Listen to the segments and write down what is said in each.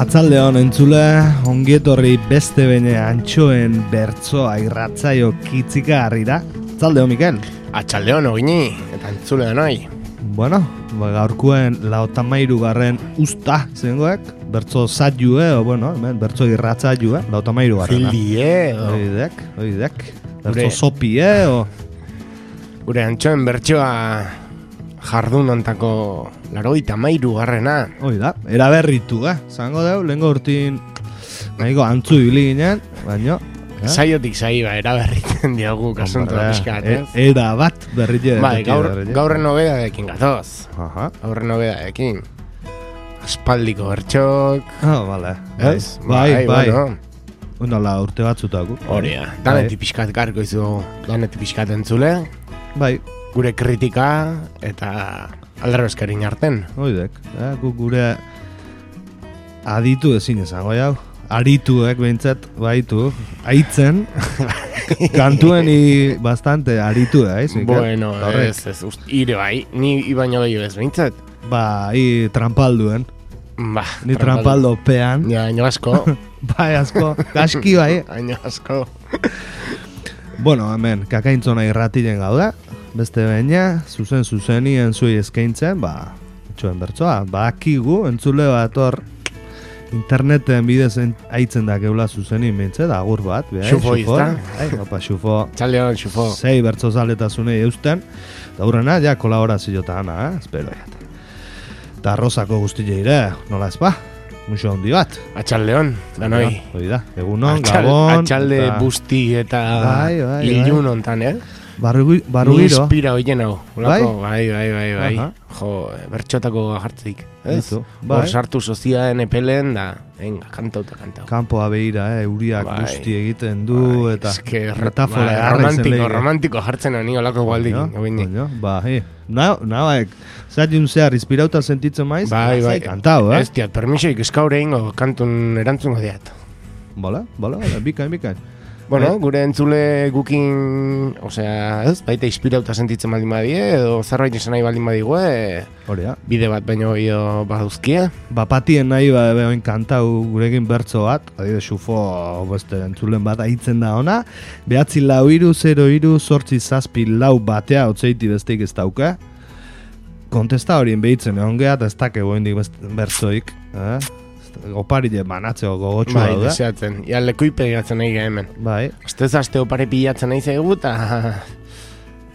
Atzaldeon entzule, ongietorri beste bene antxoen bertzoa irratzaio kitzika harrira. Atzaldeon, Mikel. Atxaldeon, ogini, eta entzule da noi. Bueno, gaurkuen 53. usta zengoek, bertzo zailue, o bueno, hemen bertzo irratzailue, 53. Fildie, Oidek. Bertzo sopie, o... Gure antxoen bertsoa jardun ontako 83. Oida, eraberritu, zango deu, lehenko urtin nahiko antzu ibili ginen, baino... Saiotik saiba, eraberriten diogu kasuntu da pixkat, Era bat berrite. Bai, gaurren nobedadekin gatoz. Aha. Gaurren nobedadekin. Aspaldiko bertxok. Vale. Ez? Bai. Bueno. Unala urte batzutako. Horia. Danetik pixkat garko izu, danetik pixkat entzule. Bai. Gure kritika eta aldarrezkarin arten. Oidek. Gure aditu ezin izango jau. Arituek behintzat, baitu, aitzen, kantueni bastante aritu da, Bueno, ez, ire bai, ni ibaino gehiago ez behintzat. Ba, trampalduen. Ba, ni trampaldo pean. Ja, aino asko. Bai, asko, kaski bai. Aino asko. Bueno, hemen, kakaintzona irratilen gauda, beste baina, zuzenien zuei eskaintzen, ba, txoen bertzoa, ba, akigu, entzule bat hor, interneten bidez aitzen da geula zuzeni mintzet, agur bat. Xufo izta. Opa, xufo. Txaldeon, xufo. Sei bertzo zaletasune eusten. Da hurrena, ja kolaborazio eta ana, espero jat. Ta Rosako guztile ire, nola ezpa? Muxo handi bat. Atxaldeon, da noi. Oida, egunon, gabon. Atxalde busti eta ilun ontan, Barru ni giro. Inspira hoien hau. Bai. Aha. Jo, bertxotako jartzik. Ez? Bai. Hor sartu soziaen epelen da, venga, kantau. Kanpoa behira, euriak guzti egiten du, eta metafora romantiko jartzen ani olako gualdik. Ba, nabaek, zailun zehar inspirauta sentitzen maiz, bai. Kantau, Ez diat, permisoik eskaure ingo kantun erantzungo diat. Bala, bikain. Bueno, gure entzule gukin, osea, ez, baita inspirauta sentitzen baldin badie, edo zerbait izan nahi baldin badigue, bide bat baino gehiago baduzkia. Bapatien nahi behoin kantau gurekin bertzo bat, adide xufo beste entzulen bat aitzen da ona, 94303 batea otzeiti besteik ez dauka. Kontesta horien behitzen egon geha, eta ez dake goindik bertzoik, Oparile banatzeko gogotxua da. Bai, deseatzen. Ia lekuipe gatzen nahi hemen. Bai. Aztez aste opare pilatzen nahi zaigu eta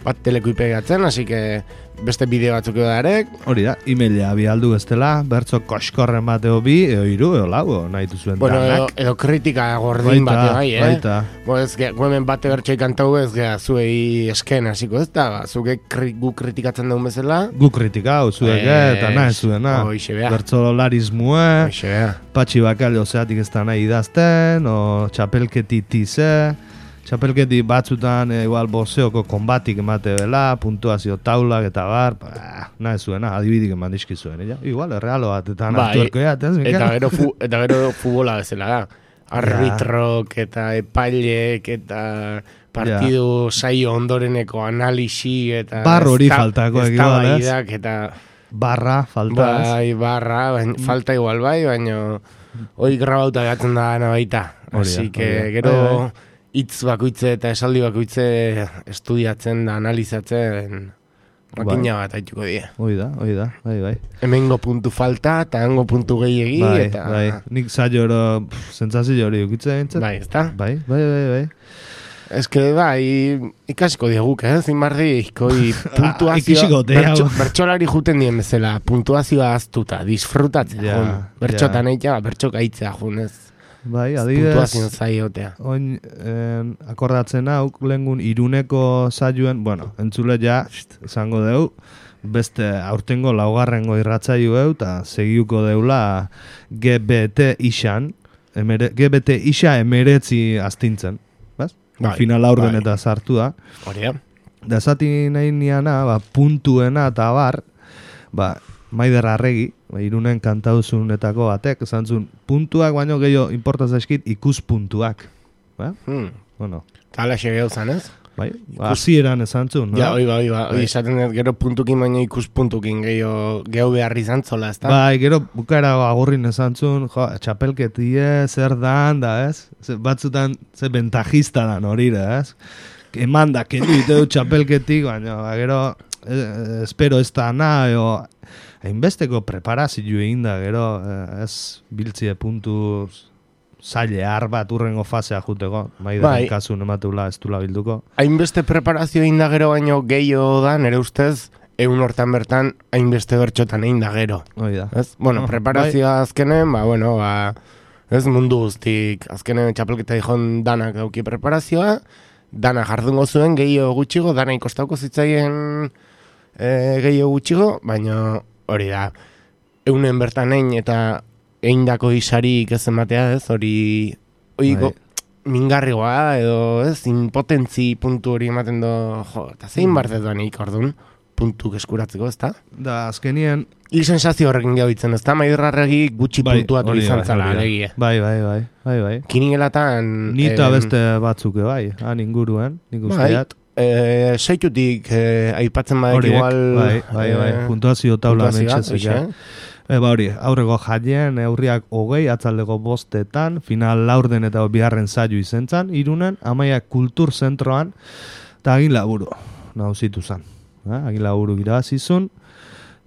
bat telekuipe gatzen, hasi que beste bideo batzuk edarek. Hori da, e-mailea bialdu bestela, bertzo koskorren bateo bi, edo iru, edo lau, nahi duzuen danak. Edo kritika gordin bateo bai, Baita. Ez hemen bate bertxoi kantau ez gea zuei esken hasiko ez da, zuke gu kritikatzen dugun bezala. Gu kritikau, zuek eta nahi zuena. Bertzo larismue, patxi bakalio zeatik ez da nahi idazten, o txapelketi tize, txapelketi batzutan igual boxeoko konbatik emate dela, puntuazio taulak eta bar, nahi zuena, adibidik eman dizkizuen, igual, errealo bat, eta nartuerko ez, Mikel? Eta gero futbola bezala da. Arbitrok eta epailek eta partidu saio ondoreneko analisi eta... Barro hori faltako egival, ez? Eta... Barra, falta, ez? Bai, barra, falta igual bai, baina hori grabauta gatzen da gana baita. Así que gero... Itz bakoitze eta esaldi bakoitze estudiatzen da, analizatzen makina bat haituko die. Hoi da, bai. Hemengo puntu falta eta hango puntu gehiegi eta... Bai, nik zailo hori, zentzazio hori ukitze dintzen. Bai, ezta? Bai. Ez que, bai, ikasiko diaguk, zinbarri, puntuazioa... Bertxolari juten dien bezala, puntuazioa aztuta, disfrutatzen, bertxotan eitea, bertxok aitzea jun, ez? Bai, adibidez, oin akordatzen hau, lehengun Iruneko saioen, bueno, entzule ja, izango deu, beste aurtengo laugarrengo irratzaio eu, eta segiuko deula GBT isan, GBT isa emeretzi astintzen, bez? Final aurden eta sartu da. Horia. Da zati nahi niana, puntuena eta bar, Maider Arregi, Irunen kantauzunetako batek, esan zuen, puntuak baino gehiago importaz eskit ikuspuntuak. Bueno. Tala xe gehiago zan, ez? Bai, hasieran esan zuen, no? Ja, oi, esaten dut, gero puntukin baina ikuspuntukin geho behar izan zola, ez da? Bai, gero bukara agurrin esan zuen, txapelketie, zer dan, da, ez? Batzutan, ze ventajista dan horire, ez? Eman da, kendu diteu txapelketik, baina, gero, espero ez da nahi, hainbesteko preparazio egin da, gero, ez biltzie puntuz, zaile bat urrengo fasea juteko, maidaren kasun emateula ez dula bilduko. Hainbeste preparazio egin da gero baino gehiago da, nire ustez, egun hortan bertan hainbeste bertxotan egin da gero. Oida. Bueno, preparazioa azkenen, ez mundu guztik, azkenen txapelketa dihon danak dauki preparazioa, dana jardungo zuen gehiago gutxigo, dana ikostauko zitzaien gehiago gutxigo, baina hori da, egunen bertan egin eta eindako isarik ez ematea, ez, hori mingarrigoa, edo, ez, impotentzi puntu hori ematen do, eta zein bartetan egik orduan, puntuk eskuratzeko, ez da? Da, azkenien... Hil sensazio horrekin gauditzen, ez da? Maiderrarregi gutxi puntuatu izan zala, alegia. Bai. Kiningelatan... Nita beste batzuke, bai, han inguruen, nik usteat. Seitutik aipatzen badek igual... Bai, puntuazio taula mentxezek, hori, aurreko jaien, eurriak 20, atzaldeko 5, final laurden eta biharren saio izen zan, Irunen, Amaiak kultur zentroan, eta agin laburu, nauzitu zan. Agin laburu irabazizun,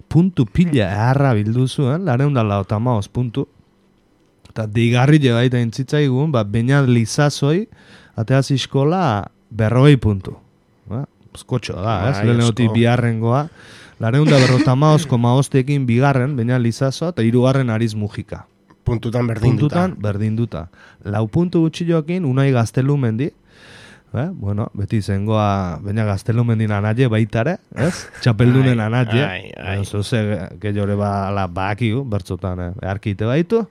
puntu pila eharra bildu zuen, 285 puntu, eta digarri baita intzitzaigun, Beñat Lizazoi, ateaz iskola 40 puntu. Eskotxo da, lehenoti biharrengoa, 255,5 bigarren, Beñat Lizazo, eta 3 Ariz Mujika. Puntutan berdinduta. 4 puntu gutxillokin, Unai Gaztelumendi, beti zengoa Beñat Gaztelumendin anaie baitare, ez? Txapeldunen anaie, zoze, gehiore bakiu, bertzotan, arkite baitu.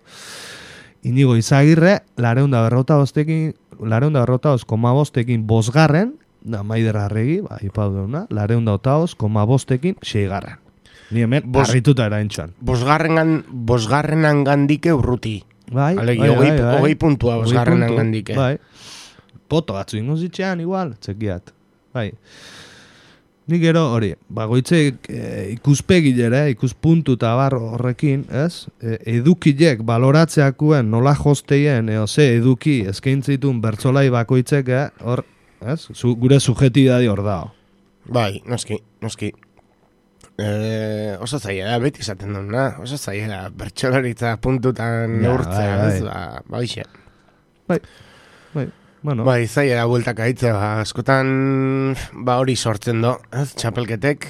Inigo Izagirre, 255,5 bosgarren, da Maiderarregi, ipau deuna, 285,5 6garren. Ni hemen harrituta eraintxan. Bosgarrenan gandike urruti. Bai. Hogei puntua bosgarrenan gandike. Bai. Poto batzu ingo zitxean igual, txekiat. Bai. Nik gero hori, goitzek ikuspegilere, ikuspuntu eta bar horrekin, ez? Edukilek baloratzeakuen nola josteien, ze eduki eskaintzitun bertzolai bakoitzek, hor, ez? Gure subjetibidadi hor dao. Bai, noski. Oso zaila da, beti izaten duna. Oso zaila da, bertxolaritza puntutan neurtzea, ez? Baixe. Bai. Bueno. Bai, zaila da bueltak aitzea, askotan hori sortzen do, ez? Txapelketek,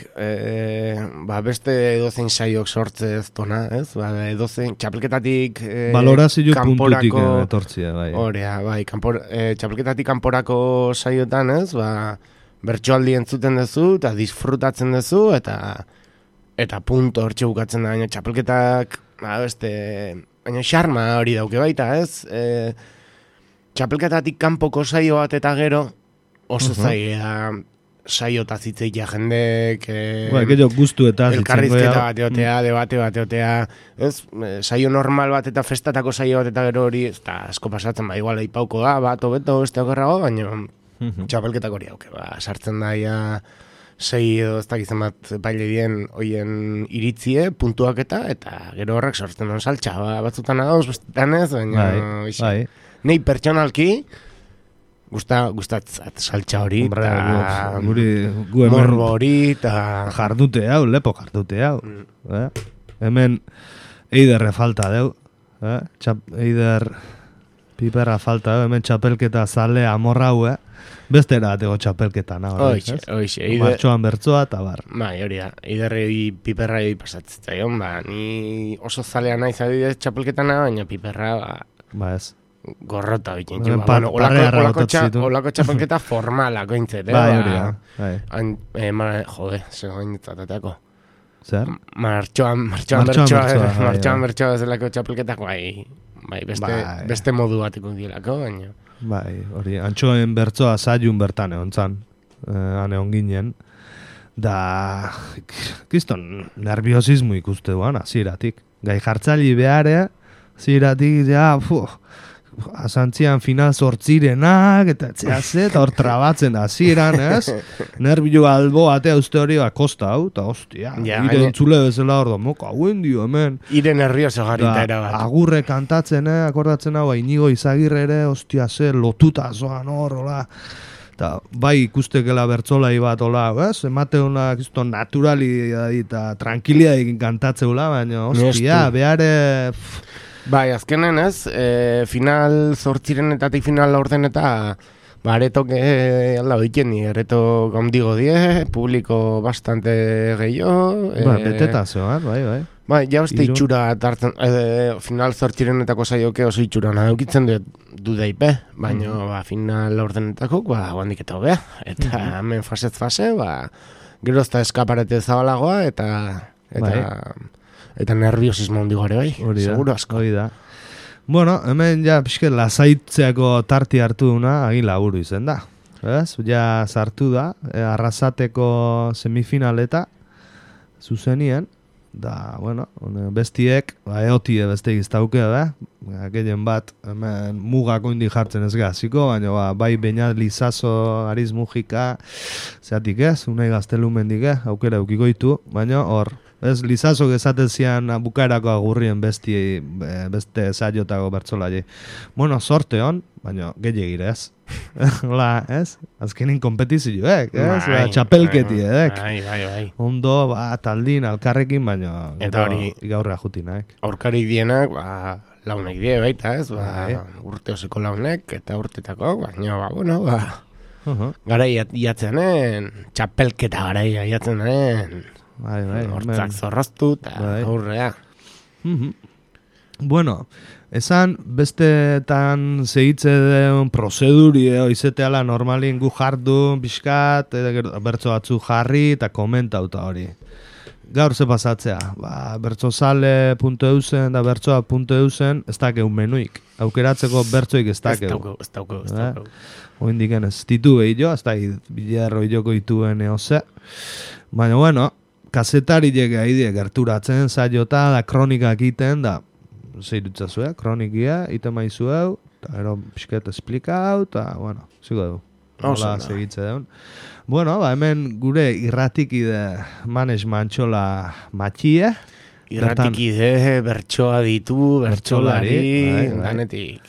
beste edozein saiok sortze ez dona, ez? Edozein, txapelketatik balorazio puntutik etortzia, bai. Horea, bai, txapelketatik kanporako saiotan, ez? Bertsoaldi entzuten duzu, eta disfrutatzen duzu, eta punto hortxe bukatzen da, baina txapelketak, baina xarma hori dauke baita, ez? Txapelketatik kanpoko saio bat eta gero oso zaila saiota zitzeikia jendek guztu eta elkarrizketa bateotea, debate bateotea, saio normal bat eta festatako saio bat eta gero hori asko pasatzen, igual aipauko da, bat obeto beste okerrago, baina txapelketak hori hauke, sartzen daia 6 edo ez dakizen bat paile dien hoien iritzie, puntuak eta gero horrek sortzen duen saltxa, batzutan agauz, bestetan ez, baina nei pertsonalki gustatzat saltxa hori, morbo hori, eta jardute hau, lepo jardute hau. Hemen eiderre falta deu, eider piperra falta deu, hemen txapelketa zale amorra hau, beste erateko txapelketa nago. Oixe. Martxoan bertzoa eta bar. Bai, hori da, eiderrei piperrai pasatzen, ni oso zalea naiz adidez txapelketana, baina piperra, ez. Gorrota bikin. Olako txapelketa formalako intzet. Bai, hori da. Jode, zegoen ditzateako. Zer? Martxoan bertsoa zelako txapelketak, bai, beste modu bateko dilako, baina. Bai, hori, antxoen bertsoa zaiun bertan egon zan, egon ginen, da, kiston, nerviosismo ikuste duan, aziratik. Gai jartzali behare, aziratik, asantzian final zortzirenak, eta eta hor trabatzen da, ziren, ez? Nervio albo atea uste hori, kosta hau, eta hostia, ire entzule bezala hor da, moka, hauen dio, hemen. Ire nervioso garrita erabat. Agurre kantatzen, akordatzen hau, Inigo Izagirre ere, hostia, lotuta zoan hor, hola. Eta bai ikustekela bertzolai bat, hola, ez? Emate hona, naturali eta tranquilia egin kantatzeula, baina, hostia, behare... Bai, azkenen ez, final zortzirenetatik final laurden eta aretok alda oiken ni, areto gaundigo die, publiko bastante gehiago. Beteta zeoan, bai. Bai, ja uste itxura tartzen, final zortzirenetako saioke oso itxura nadukitzen du daipe, baina final laurdenetako, guandik eta hobea. Eta hemen fasez fase, gero ezta eskaparete zabalagoa, eta nerviosismo handi gore bai, seguro asko. Hori da. Bueno, hemen ja pixket lasaitzeako tarti hartu duna, agin laburu izen da. Ez? Ja sartu da, Arrasateko semifinaleta zuzenien, da, bueno, bestiek, eotie besteik iztauke, gehien bat, hemen mugako indi jartzen ez gaziko, baina bai Beñat Lizaso, Ariz Mujika, zeatik ez, unai gaztelumendik, aukera eukikoitu, baina hor, ez, Lizaso gezaten zian bukaerako agurrien beste zaiotako bertzolai. Bueno, sorte hon, baina gehiagire ez. Hola, ez? Azkenin kompetizioek, ez? Txapelketi, Bai. Ondo, taldin, alkarrekin, baina eta hori gaurra jutinaek. Aurkarik dienak, launek die baita, ez? Urte oseko launek, eta urtetako, baina, bueno, garai iatzenen, txapelketa garai iatzenen, hortzak zorroztu, eta aurrea. Bueno, esan bestetan segitze den prozeduri izeteala normalin gu jardu, bizkat, bertso batzu jarri eta komentauta hori. Gaur ze pasatzea, bertsozale.eusen da bertsoa.eusen ez dakeu menuik. Aukeratzeko bertsoik ez dakeu. Ez dakeu. Oindiken ez ditu behillo, ez da bilerro hiloko dituen eoze. Baina, bueno, kazetari lege haidie gerturatzen zaiota da kronikak iten da zeirutza zuen, kronikia, ite maizu hau, eta ero pixket esplika hau, eta, bueno, zigo dugu. Hola, segitze deun. Bueno, hemen gure irratikide Manes Mantxola matxie. Irratikide, bertsoa ditu, bertsolari, danetik.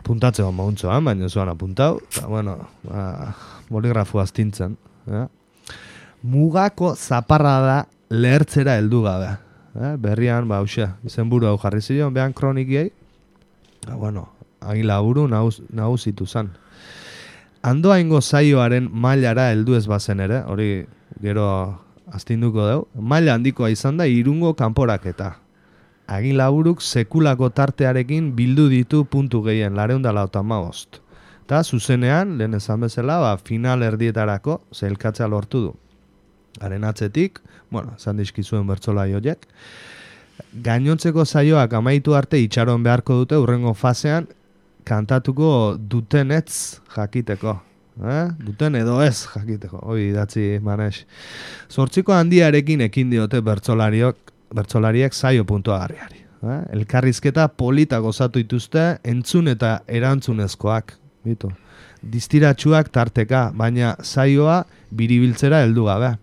Puntatzeko mauntzoan, baina zuan apuntau, eta, bueno, boligrafu astintzen. Mugako zaparra da lehertzera heldu gabe. Berrian, izenburu hau jarri zion, behan kronikiei, bueno, agin laburu nagusitu zan. Andoaingo zaioaren mailara heldu ez bazen ere, hori gero astinduko dugu, maila handikoa izan da Irungo kanporaketa. Agin laburuk sekulako tartearekin bildu ditu puntu gehien, 485. Eta zuzenean, lehen esan bezala, final erdietarako zeilkatzea lortu du. Haren atzetik, bueno, esan dizkizuen bertsolai horiek, gainontzeko saioak amaitu arte itxaron beharko dute urrengo fasean kantatuko dutenetz jakiteko. Duten edo ez jakiteko, hori idatzi Manes. 8 handiarekin ekin diote bertsolariek saio puntuagarriari. Elkarrizketa polita gozatu dituzte entzun eta erantzunezkoak. Distiratsuak tarteka, baina saioa biribiltzera heldu gabe.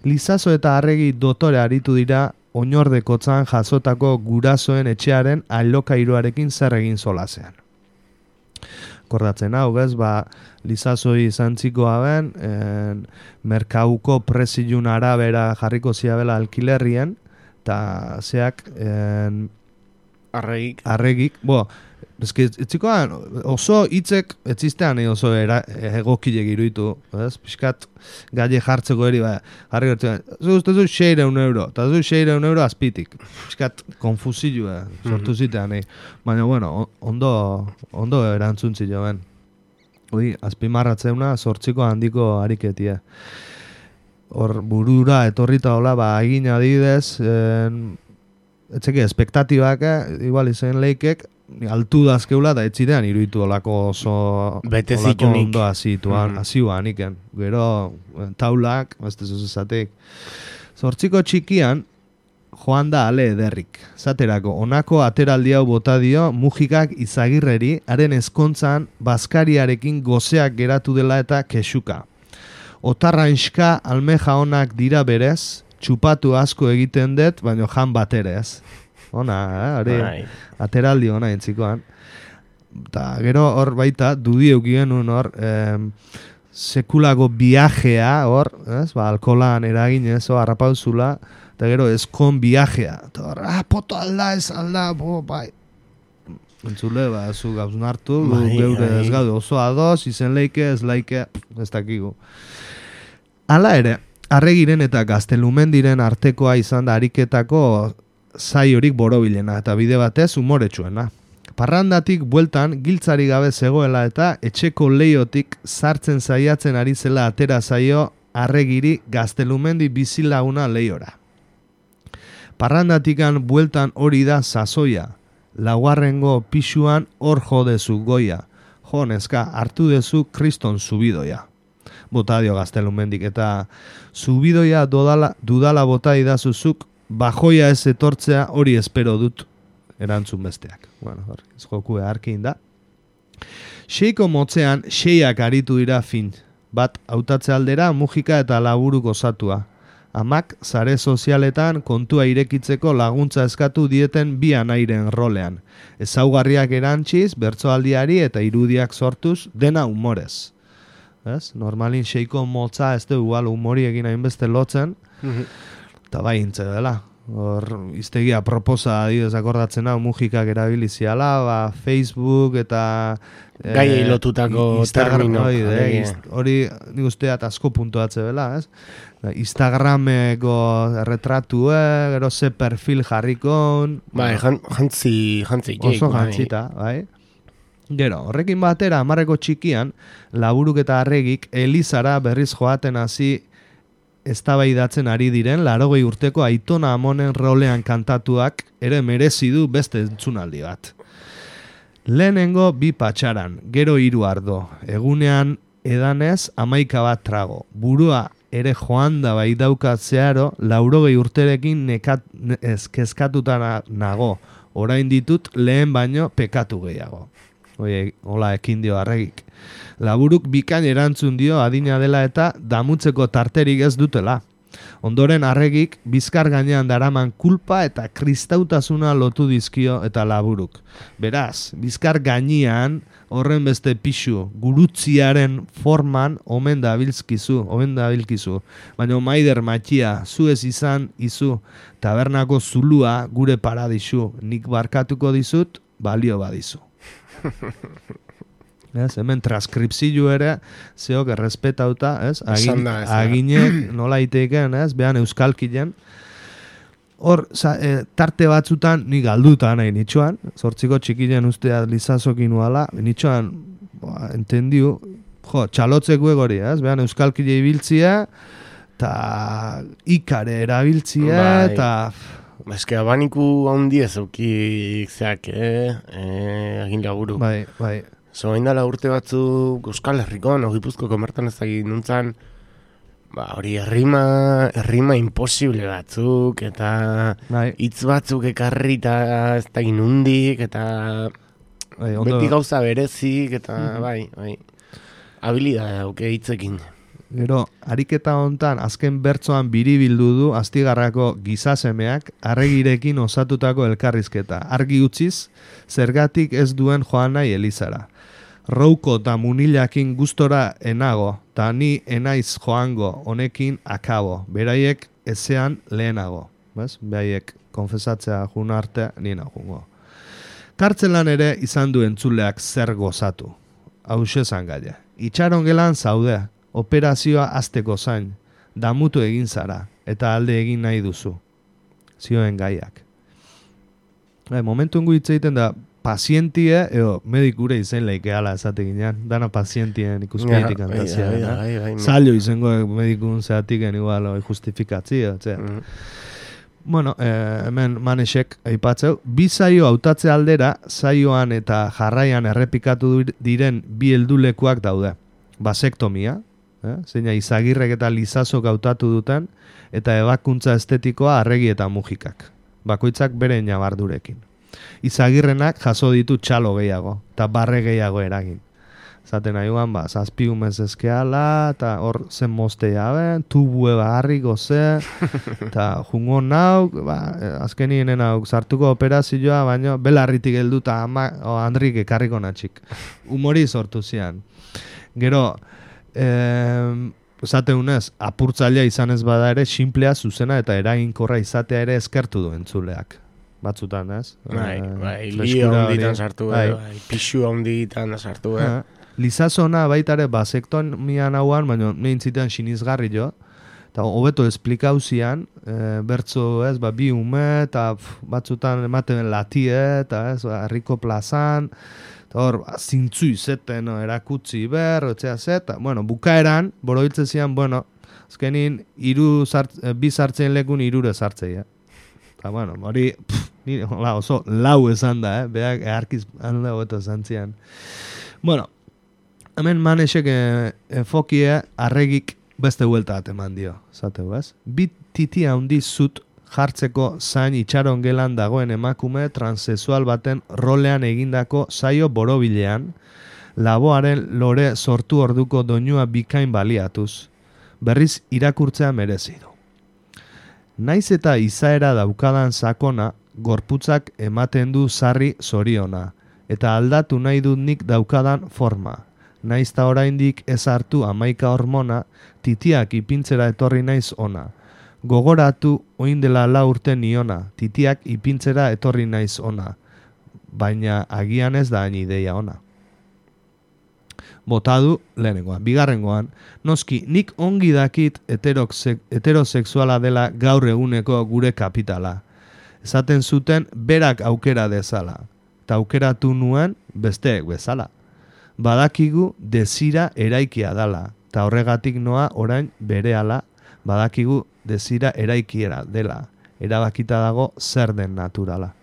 Lizaso eta Arregi dotore aritu dira oinordekotzan jasotako gurasoen etxearen alokairuarekin zer egin solasean. Kordatzen hau, ez, Lizazoi zantzikoa ben, merkauko prezilun arabera jarriko ziabela alkilerrien, eta zeak Arregik, etzikoan, oso hitzek etzistean oso egokilek iruditu, pixkat gaile jartzeko eri, jarri gertzen, zu 600 euro, eta zu 600 euro azpitik, pixkat konfusillu, sortu zitean, baina, bueno, ondo erantzuntzi joan. Azpimarratzeuna 8 handiko ariketia. Hor burura etorrita hola, egin adidez, etzeke espektatibak, igual izen leikek, altu dazkeula da etzidean iruditu olako oso ondo azioan iken. Gero taulak, beste zuzezatek. 8 txikian, joan da ale ederrik. Zaterako, honako ateraldi hau bota dio Mujikak Izagirreri, haren ezkontzan Baskariarekin gozeak geratu dela eta kexuka. Otarrainska almeja onak dira berez, txupatu asko egiten dut, baino jan baterez. Ona, hori ateraldi ona entzikoan. Ta gero hor baita, dudiuk genuen hor, sekulako viajea hor, alkolan eraginez, harrapauzula, eta gero eskon viajea. Eta hor, poto alda, ez alda, bai. Entzule, zu gauzun hartu, geure ez gaude oso ados, izen leike, ez laike, ez dakigu. Hala ere, Arregiren eta Gaztelumendiren artekoa izan da ariketako zaiorik borobilena, eta bide batez umoretsuena. Parrandatik bueltan giltzari gabe zegoela eta etxeko leiotik sartzen saiatzen ari zela atera zaio Arregiri Gaztelumendi bizilaguna leiora. Parrandatikan bueltan hori da sasoia, laugarrengo pisuan hor jodezu goia, jo neska hartu dezu kriston zubidoia. Bota dio Gaztelumendik eta zubidoia dudala bota idazuzuk, bajoia ez etortzea hori espero dut. Erantzun besteak. Bueno, ez jokue harkin da. Seiko motzean, seiak aritu dira fin. Bat, hautatze aldera, Mujika eta Laburuk osatua. Amak, sare sozialetan kontua irekitzeko laguntza eskatu dieten bi anairen rolean. Ezaugarriak erantziz, bertsoaldiari eta irudiak sortuz, dena humorez. Ez? Normalin seiko motza ez du igual humori egin hainbeste lotzen, eta bai intze dela. Hor, iztegia proposa adibidez akordatzen hau Mujikak erabiliziala, Facebook eta gai lotutako termino. Hori nik usteat asko puntuatze bela, ez? Instagrameko retratue, gero ze perfil jarrikon. Bai, jantzi oso jantzita, bai. Gero, horrekin batera, 10 txikian, Laburuk eta Arregik Elizara berriz joaten hasi eztabaidatzen ari diren 80 urteko Aitona Amonen rolean kantatuak ere merezi du beste entzunaldi bat. Lehenengo 2 patxaran, gero 3 ardo, egunean edanez 11 bat trago. Burua ere joan da bai daukat zeharo, 80 urterekin kezkatuta nago. Orain ditut lehen baino pekatu gehiago. Hola ekin dio Arregik. Laburuk bikain erantzun dio adina dela eta damutzeko tarterik ez dutela. Ondoren Arregik bizkar gainean daraman kulpa eta kristautasuna lotu dizkio eta Laburuk. Beraz, bizkar gainean horren beste pixu, gurutziaren forman omen dabilkizu. Baina maider matxia, zu ez izan izu, tabernako zulua gure paradisu, nik barkatuko dizut, balio badizu. Ez, hemen transkripzio ere zeok errespetauta, ez? Aginek nola iteiken, ez? Behan euskalkien. Hor, tarte batzutan ni galduta nahi nitxoan, 8 txikien ustea lizazokin nuala, nitxoan, entendiu, txalotzeko egori, ez? Behan euskalkile ibiltzia, eta ikare erabiltzia, eta... Eske abaniku handi ez aukik zeak, egin Laburu. Bai. Zoain dala urte batzuk Euskal Herrikon, Gipuzkoako mertan ez dakit nuntzan, hori errima imposible batzuk, eta hitz batzuk ekarri eta ez dakit nundik, eta beti gauza berezik, eta bai. Habilidade dauke hitzekin. Gero, ariketa hontan azken bertsoan biribildu du Astigarrako gizasemeak Arregirekin osatutako elkarrizketa. Argi utziz, zergatik ez duen joan nahi Elizara. Rouko eta munilakin gustora enago, eta ni enaiz joango honekin akabo. Beraiek ezean lehenago. Beraiek konfesatzea juna arte nina jungo. Kartzelan ere izan du entzuleak zer gozatu. Hauxe zangaia. Itxaron gelan zaude. Operazioa azteko zain, damutu egin zara, eta alde egin nahi duzu. Zioen gaiak. Momentu ingo hitz egiten da, pazientie, medikure izen leike ala esate ginean, dana pazientien ikuspeitik antazia. Zailo izango medikun zehatiken igual justifikatzia. Bueno, hemen Manesek aipatzeu, 2 zaio hautatze aldera, zaioan eta jarraian errepikatu diren 2 heldulekuak daude. Basektomia, Zeina Izagirrek eta Lizazok hautatu duten, eta ebakuntza estetikoa Arregi eta Mujikak. Bakoitzak bere ñabardurekin. Izagirrenak jaso ditu txalo gehiago, eta barre gehiago eragin. Zaten nahiuan, zazpiumez eskeala, eta hor zen moztea ben, tubue barri goze, eta jungo nauk, azkenien nauk sartuko operazioa, baina belarritik heldu eta Andrik ekarriko natxik. Humori sortu zian. Gero, zateunez, apurtzailea izan ez bada ere, simplea, zuzena eta eraginkorra izatea ere eskertu du entzuleak. Batzutan, ez? Lio honditan sartu, pixu honditan sartu, Lizazona baitare basektomian hauan, baina neintzitan sinizgarri jo, eta hobeto esplikauzian, bertzo ez, bi ume, eta batzutan ematen latie, eta ez, herriko plazan, eta hor, zintzu izeten erakutzi etzea zeta, bukaeran, borobiltze zian, azkenin, bi sartzen lekun irure sartzea. Eta, hori, oso lau esan da, beak earkiz handa hobeto esan zian. Hemen Manesek enfokie Arregik beste huelta bat eman dio, zateu, ez? Bi titi handi zut jartzeko zain itxaron gelan dagoen emakume transexual baten rolean egindako saio borobilean, laboaren lore sortu orduko doinua bikain baliatuz, berriz irakurtzea merezi du. Naiz eta izaera daukadan sakona, gorputzak ematen du sarri zoriona, eta aldatu nahi dut nik daukadan forma. Naiz ta oraindik ez hartu 11 hormona, titiak ipintzera etorri naiz ona. Gogoratu oin dela 4 urte niona, titiak ipintzera etorri naiz ona. Baina agian ez da hain ideia ona. Botadu lehenengoan. Bigarrengoan, noski nik ongi dakit heterosexuala dela gaur eguneko gure kapitala. Esaten zuten berak aukera dezala. Eta aukeratu nuen besteek bezala. Badakigu desira eraikia dala, eta horregatik noa orain berehala, badakigu desira eraikiera dela, erabakita dago zer den naturala.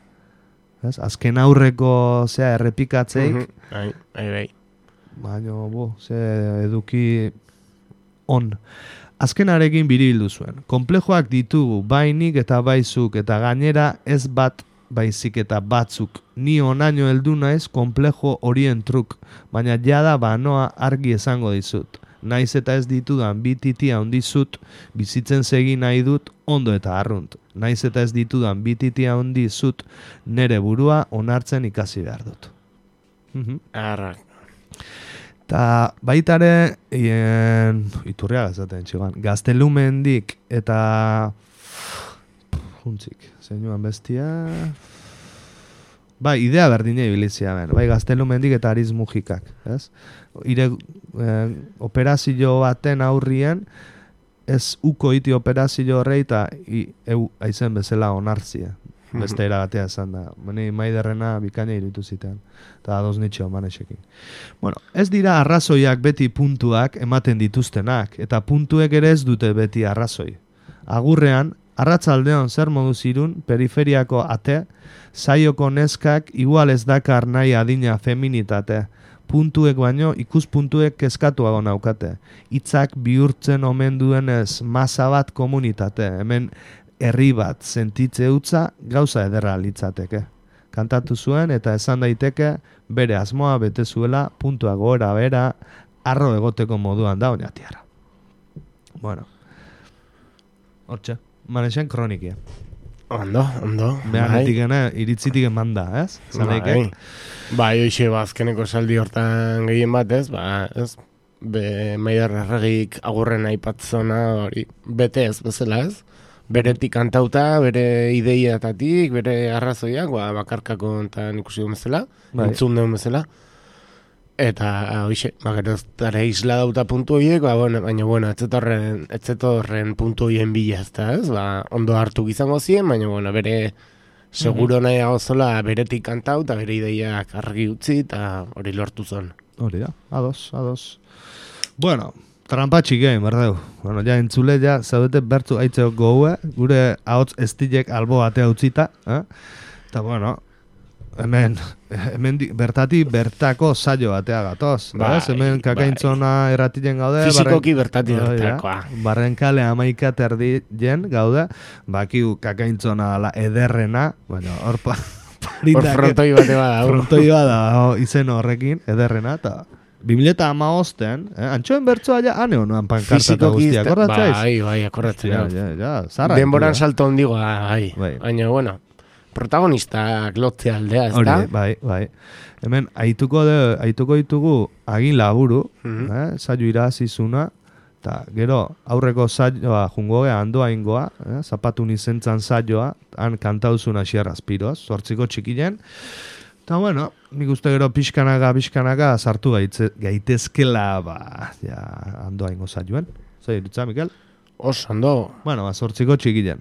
Azken aurreko errepikatzeik, baina, eduki on. Azkenarekin biribildu zuen. Konplejoak ditugu bainik eta baizuk, eta gainera ez bat baizik eta batzuk. Ni onaino heldu naiz konplejo horien truk, baina jada banoa argi esango dizut. Naiz eta ez ditudan bi titia ondizut, bizitzen segi nahi dut ondo eta arrunt. Naiz eta ez ditudan bi titia ondizut, nere burua onartzen ikasi behar dut. Arrak. Eta baitare, iturriaga zaten txigan, Gaztelumendik eta juntzik, zeinuan bestia. Idea berdine ibilizia ben. Gaztelumendik eta Ariz Mujikak, ez? Operazio baten aurrien, ez uko iti operazio horrei eta aizen bezala onartzia. Beste eragatea esan da. Maiderrena bikaina irutu zitean. Eta ados nitxeo Manesekin. Ez dira arrazoiak beti puntuak ematen dituztenak, eta puntuek ere ez dute beti arrazoi. Agurrean, arratzaldeon zer modu zirun, periferiako ate, saioko neskak igual ez dakar nahi adina feminitate. Puntuek baino ikuspuntuek kezkatuago naukate. Hitzak bihurtzen omen duenez masa bat komunitate. Hemen herri bat sentitze utza gauza ederra litzateke. Kantatu zuen eta esan daiteke bere asmoa bete zuela puntua gora bera arro egoteko moduan da oinatiara. Hortxe. Manesen kronikia. Ondo. Behanetik iritzitik eman da, ez? Hoxe, azkeneko saldi hortan gehien bat, ez? Maider Arregik agurren aipatzona hori bete ez bezala, ez? Beretik kantauta, bere ideiatatik, bere arrazoiak, bakarkako enten ikusi duen bezala, entzun duen bezala. Eta, hoxe, gero ez dara isla dauta puntu horiek, baina, ez zetorren puntu horien bila ez da, ez? Ondo hartu izango ziren, baina, bere seguro nahi zola beretik kantau, eta bere ideiak argi utzi, eta hori lortu zen. Hori da, ados. Trampatxik egin, berdeu. Ja entzule, zaudete bertu aitzeo goue, gure ahots estilek albo batea utzita, eta, hemen bertatik bertako saio batea gatoz. Hemen kakaintzona erratilen gaude. Fizikoki bertatik bertakoa. Barrenkale 11 erdien gaude. Bakiu kakaintzona ederrena. Bueno, hor frontoi bate bada. Frontoi bada izen horrekin, ederrena, eta 2015, antxoen bertzoa ja, ane honoan pankarta eta guztia, akordatzaiz? Bai, akordatzen. Zarra. Denboran salto ondigoa, baina, bueno, protagonistak lotzea aldea, ez da? Bai. Hemen, aituko ditugu agin laburu, saio irazizuna, eta gero aurreko saioa jungoa handoa ingoa, zapatun izentzan saioa, han kantauzuna xierrazpiroz, 8 txikilen. Eta bueno, nik uste gero pixkanaka sartu gaitezkela, handoa ingo saioen. Zer irutza, Mikel? Ondo. Bueno, 8 txikilen.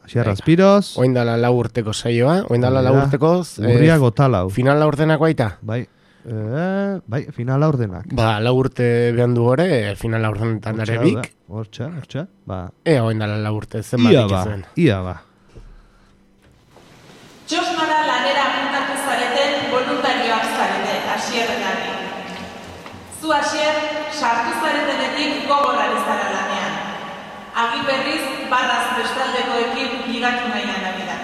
Xierrazpiroz. Oindala 4 urteko saioa, oindala 4 urteko. Urria gotalau. Final 4 urtenak baita? Bai, final 4 urtenak. 4 urte behan du gore, final 4 urtenetan ere bik. Hortxe. Ea oindala 4 urte, zenbatik ezuen. Ia ba. Txosnara lanera apuntatu zareten voluntarioak zarete, Asierrenak. Zu Asier, sartu zaretenetik gogorrari zara lanean. Agi berriz, barraz bestaldekoekin ligatu nahian abida.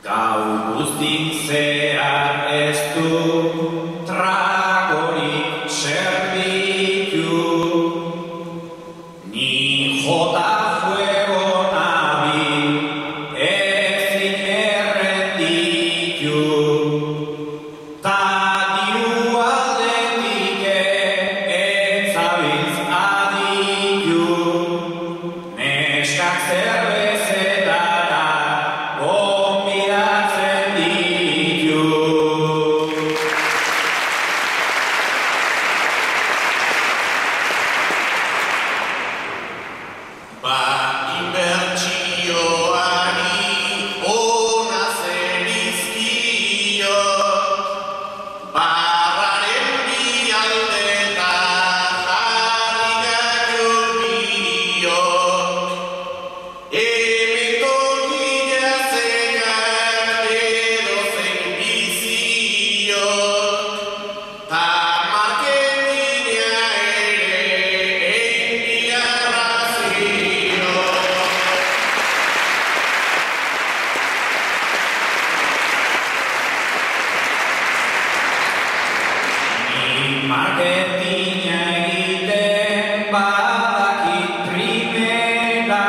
Gau guztik zehar ez du tragorik zerbitu, ni jota fuego nabil ezin errenditu, ta diru aldetik etzabiltz aditu, neskak zerbezetara gonbidatzen ditu. Inbertsioari ona zerizkio, barraren bialdeta jarri gaio emetorria zekar edozen bizio, ta marketina ere enbiarrazio. Ni marketina egiten badakit primera,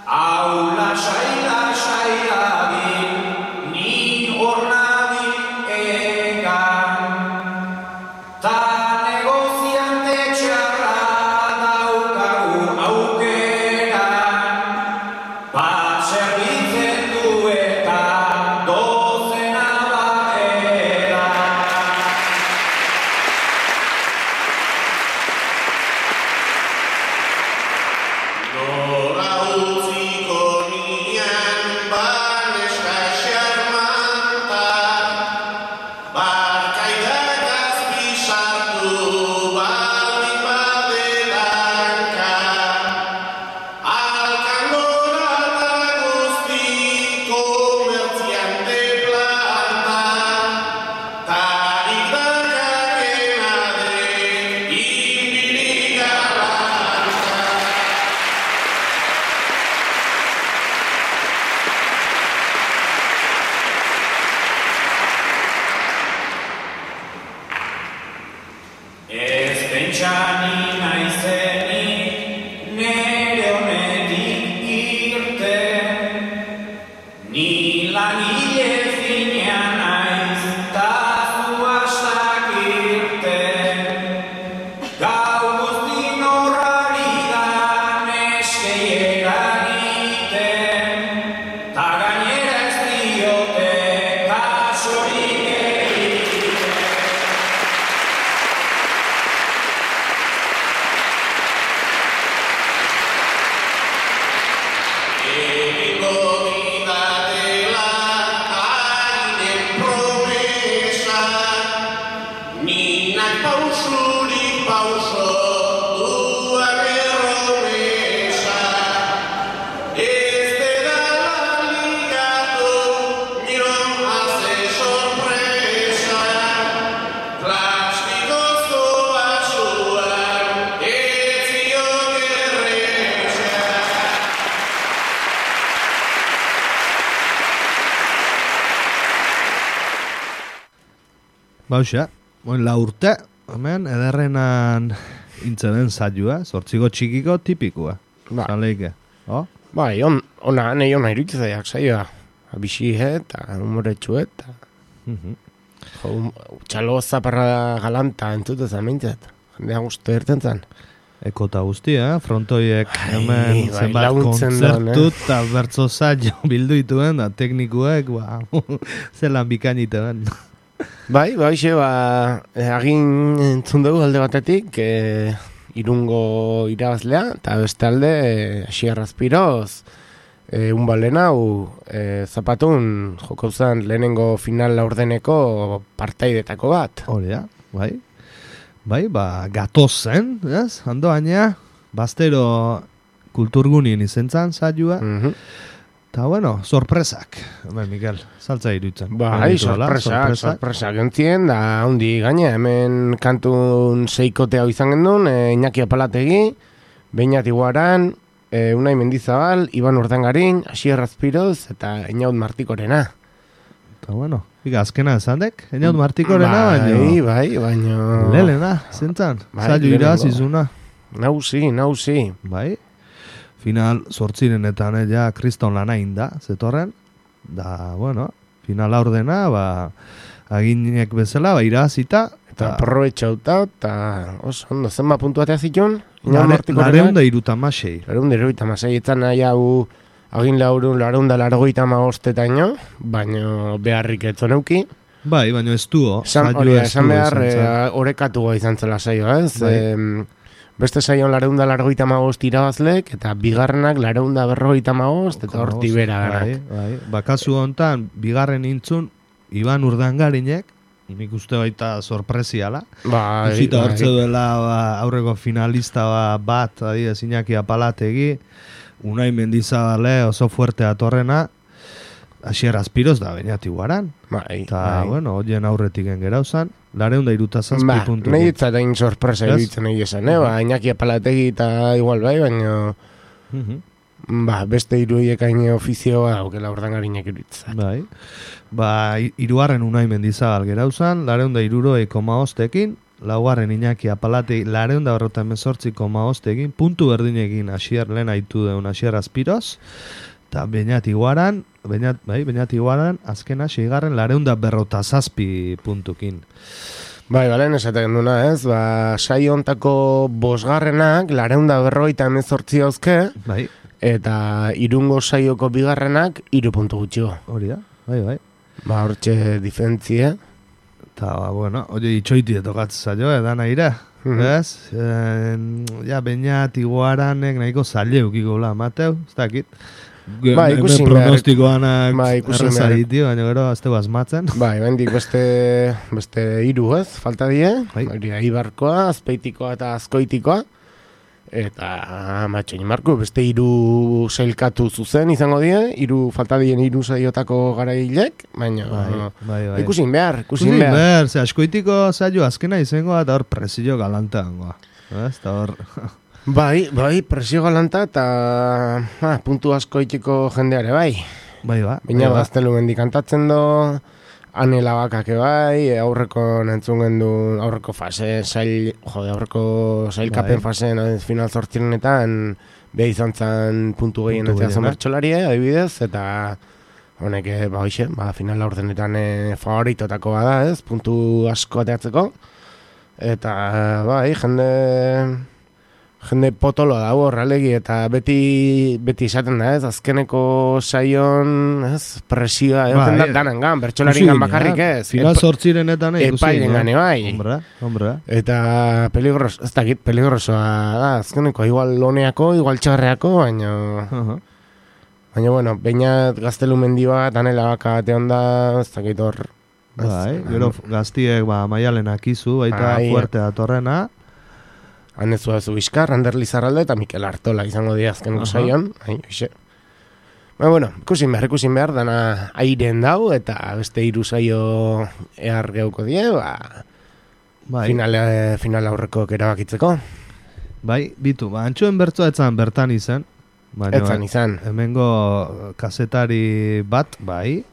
hau lasai dabil, ni hor nabil egan, ta negoziante txarra daukagu aukera, bat zerbitzen du eta dozena barrera. Nora utziko nian baneska xarmanta, barkaidak azpisartu baldin badelanka, alkandora eta guzti komertziante planta, ta ikdakakena den inbilik galanta. Ez pentsani naizenik nere honetik irten, ni langile fina naiz ta zu hastak irten. Gau guztin horrari da neskei eragiten, ta gainera ez diote kasurik egiten. Egingo didatela Bauxa, la urte, hemen, ederrenan intzenen saioa, 8 txikiko tipikoa. Zaleike, Bai, ona iruditzaiak saioa. Bixi eta humoretxu eta... Txalo zaparra galanta entzutez amintzat. Jendea guztu erten zan. Ekota guztia, frontoiek hemen zenbat kontzertu eta bertzo saio bildu dituen, da teknikuek, zelan bikainite ben. Bai, agin entzun dugu alde batetik, Irungo irabazlea, eta beste alde, Asier Azpiroz, unbalen hau, zapatun joko zen lehenengo final laurdeneko partaidetako bat. Hori da, bai. Bai, gatozen, ez? Ando baina, Bastero kulturgunien izentzan saioa. Eta, bueno, sorpresak. Mikel, saltza iruditzen. Bai, sorpresak entzien, da handi gaine, hemen kantun seikote hau izan gendun, Iñaki Apalategi, Beñat Iguaran, Unai Mendizabal, Iban Urdangarin, Asier Azpiroz, eta Einaut Martikorena. Eta, bueno, azkena esandek, Einaut Martikorena, baino... Lelena, zentzan, saio irazizuna. Nauzi. Bai, final 8renetan ja kriston lanain da, zetorren, da, bueno, final aurdena, aginek bezala, irazita, eta aprobetxauta, eta ondo, zenba puntuatea zituen? 436. 436, etzan nahi hau agin largoita maostetaino, baino beharrik etzoneuki. Bai, baino ez duo. Esan behar, orekatuko izan zela saio, ez? Beste saion 435 irabazlek, eta bigarrenak 455, eta horti bera ganak. Bai. Kasu hontan, bigarren intzun, Iban Urdangarinek, nik uste baita sorpresiala. Uzita hortze duela aurreko finalista bat, Iñaki Apalategi, Unai Mendizabale oso fuerte atorrena, Asier Azpiroz da Beñat Iguaran. Eta, bueno, hoien aurretik engerauzan, 467 puntu. Nahi ditzatain sorpresa iruditzen nahi esan, Iñaki Apalategi eta igual baino... beste irudiek hain ofizioa aukela Urdangarinek iruditzen. Bai, 3. Unai Mendizabal gerauzan, 462,5ekin, 4. Iñaki Apalategi 448,5ekin, puntu berdinekin Asier lehen aitu deun Asier Azpiroz, eta Beñat Iguaran, azkena 6. 457 puntukin. Bai, balen esaten duna, ez? Saio hontako 5. 458 hauzke, eta Irungo saioko 2. 3 puntu gutxiko. Hori da, bai. Hortxe diferentzia. Eta, bueno, hori itxoiti etokatz zailo, edan aire, ez? Beñat Iguaranek nahiko zaile ukiko Mateu, ez dakit. Ikusin pronostikoanak errezaditio, baina gero azteu asmatzen. Bendik beste 3, ez? Falta die, Ibarkoa, Azpeitikoa eta Azkoitikoa. Eta matxoin marko, beste 3 sailkatu zuzen izango die, falta dien 3 saiotako garailek, baina ikusin behar. Ze Azkoitiko saio azkena izango eta hor presio galanta gangoa. Eta hor... Bai, presio galanta eta puntu asko itiko jendeare bai. Baina Gaztelu mendik kantatzen do, Anela bakake bai, aurreko nentzun gendu, aurreko sailkapen fasen final 8renetan, beha izan zen puntu gehien etzea zen bertxolarie, adibidez, eta honek, final aurrenetan favoritotako bada, ez, puntu asko ateatzeko, eta bai, jende potolo da horrelegi, eta beti esaten da, ez, azkeneko saion, ez, presioa, danan gan, bertxolarin gan bakarrik, ez. Final 8renetan epailen gane bai. Hombre. Eta peligrosoa da, azkeneko, igual loneako, igual txarreako, baina, bueno, Beñat Gaztelu mendi bat, Anela baka batean da, ez dakit hor. Gero gaztiek maialenak izu, baita fuerte datorrena. Hanezua zu Bizkar, Ander Lizarralde eta Mikel Artola izango dira azkeneko saion. Bueno, ikusin behar, dana airen dau, eta beste 3 saio ehar geuko die, final aurreko erabakitzeko. Bai, bitu, antxoen bertzoa etzan bertan izan. Etzan izan. Hemengo kazetari bat, bai,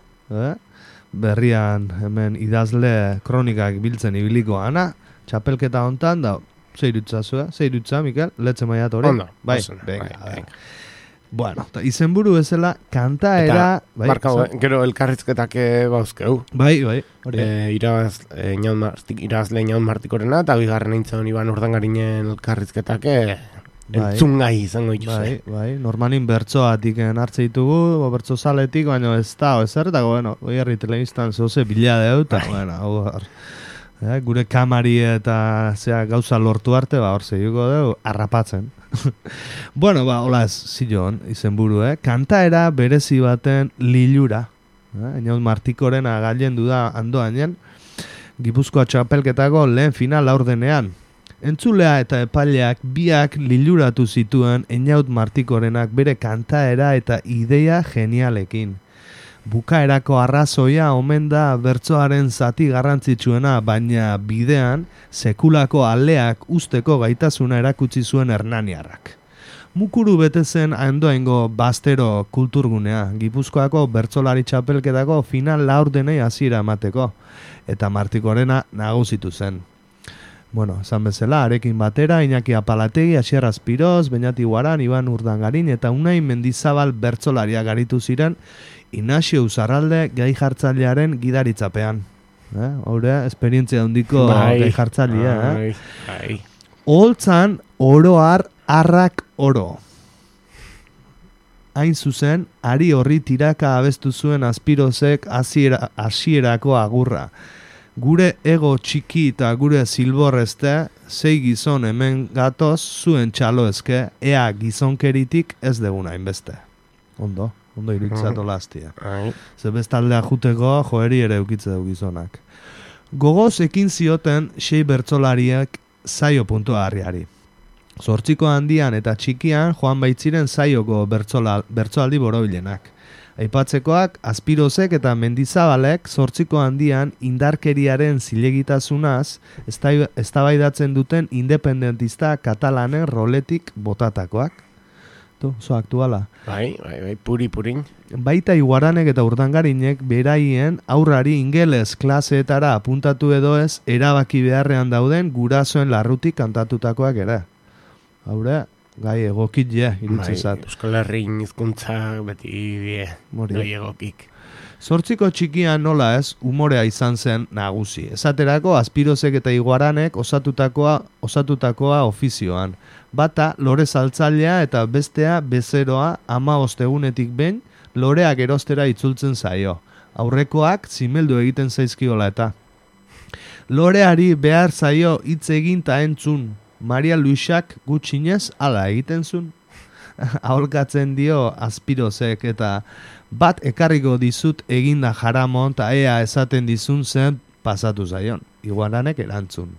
berrian hemen idazle kronikak biltzen ibiliko ana, txapelketa hontan da, zeirutza, Mikel, letzen maiat hori? Ondo, bai, venga. Bueno, izenburu bezala, kantaera... Eta, markau, gero elkarrizketak bauzkeu. Bai, hori. Irazle Inaun Martikorena, eta bigarren eintzan Iban Urdangarinen elkarrizketak entzungai izango dituzue. Bai, normalin bertsoatik hartze ditugu, bertso zaletik, baina ez da, ezer, eta bueno, herri telebistan zoze bila deu, eta bueno, gure kamari eta gauza lortu arte, hor zeiguko dugu, harrapatzen. Bueno, hola ez, zilon, izenburu, kantaera berezi baten lilura. Inaun Martikorena gailendu da andoainen, Gipuzkoa txapelketako lehen final laurdenean. Entzulea eta epaileak biak liluratu zituen Inaun Martikorenak bere kantaera eta ideia genialekin. Bukaerako arrazoia omen da bertsoaren zati garrantzitsuena, baina bidean sekulako aleak usteko gaitasuna erakutsi zuen hernaniarrak. Mukuru bete zen Andoaingo Bastero kulturgunea, Gipuzkoako bertsolari txapelketako final laurdenei hasiera emateko, eta Martikorena nagusitu zen. Bueno, esan bezala, arekin batera, Iñaki Apalategi, Asier Azpiroz, Beñati Guaran, Iban Urdangarin eta Unai Mendizabal bertsolaria garitu ziren Inazio Uzarralde gai jartzailearen gidaritzapean. Hore, esperientzia handiko gai jartzailea. Oholtzan oroar arrak oro. Hain zuzen, ari horri tiraka abestu zuen Azpirozek hasierako agurra. Gure ego txiki eta gure zilborrezte, sei gizon hemen gatoz zuen txalo ezke, ea gizonkeritik ez degun hainbeste. Ondo iritzatu lastia. Ze bestaldea juteko joeri ere eukitze dugu gizonak. Gogoz ekin zioten sei bertsolariak zaio puntua harriari. Zortziko handian eta txikian joan baitziren zaioko bertsoaldi borobilenak. Aipatzekoak, Azpirozek eta Mendizabalek zortziko handian indarkeriaren zilegitasunaz eztabaidatzen duten independentista katalanen roletik botatakoak. Zo aktuala. Bai, purin. Baita Iguaranek eta Urdangarinek beraien aurrari ingeles klaseetara apuntatu edo ez erabaki beharrean dauden gurasoen larrutik kantatutakoak ere. Haure, gai egokit iritzizat. Euskal Herrin hizkuntzak beti gai egokik. Zortziko txikian nola ez, umorea izan zen nagusi. Esaterako, Azpirozek eta Iguaranek osatutakoa ofizioan. Bata, lore saltzailea eta bestea bezeroa 15 egunetik behin loreak erostera itzultzen zaio. Aurrekoak zimeldu egiten zaizkiola eta. Loreari behar zaio hitz egin ta entzun. Maria Luisak gutxinez hala egiten zuen. Aholkatzen dio Azpirozek eta bat ekarriko dizut eginda jaramon eta ea esaten dizun zen pasatu zaion. Iguaranek erantzun.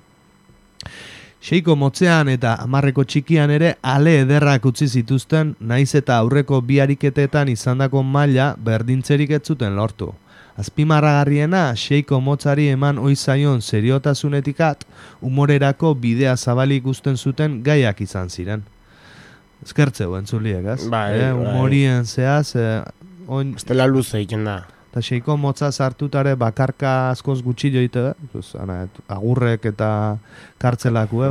Seiko motzean eta 10 txikian ere ale ederrak utzi zituzten, naiz eta aurreko bi ariketetan izandako maila berdintzerik ez zuten lortu. Azpimarragarriena, seiko motzari eman ohi zaion seriotasunetikat, umorerako bidea zabalik uzten zuten gaiak izan ziren. Eskertzeu entzuliek, ez? Bai. Umorien zehaz... Estela luze egiten da. Eta seiko motza sartutare bakarka askoz gutxi joite, agurrek eta kartzelakue,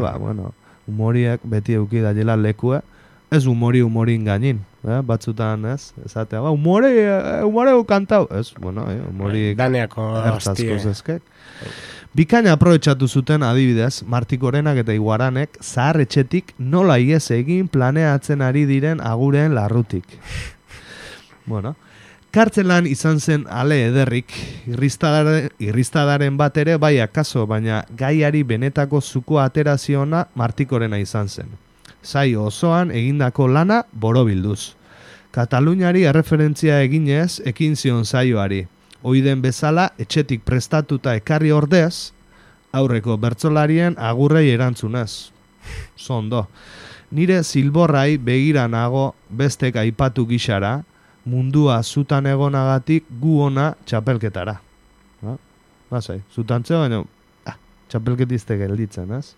umoriek beti euki daiela lekue, ez umorin gainin, batzutan ez, esatea, umore kantau, ez, umori ertzaskoz ezkek. Bikaina aprobetxatu zuten adibidez, Martikorenak eta Iguaranek zahar etxetik nola iez egin planeatzen ari diren aguren larrutik. Kartzelan izan zen ale ederrik, irristadaren bat ere bai akaso, baina gaiari benetako zuko ateraziona Martikorena izan zen. Zai osoan egindako lana borobilduz. Kataluniari erreferentzia eginez ekin zion zaioari. Oiden bezala etxetik prestatuta ekarri ordez, aurreko bertsolarien agurrei erantzunez. Zondo. Nire zilborrai begira nago bestek aipatu gixara, mundua zutan egonagatik gu ona txapelketara. Zutantzeo, baina txapelketizte gelditzen, ez?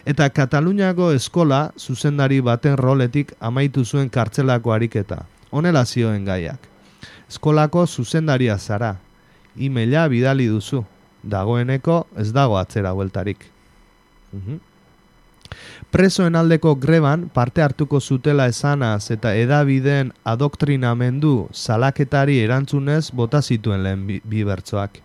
Eta Kataluniako eskola zuzendari baten roletik amaitu zuen kartzelako ariketa. Honela zioen gaiak. Eskolako zuzendaria zara. emaila bidali duzu. Dagoeneko ez dago atzera bueltarik. Presoen aldeko greban parte hartuko zutela esanaz eta edabideen adoktrinamendu salaketari erantzunez bota zituen lehen bi bertsoak.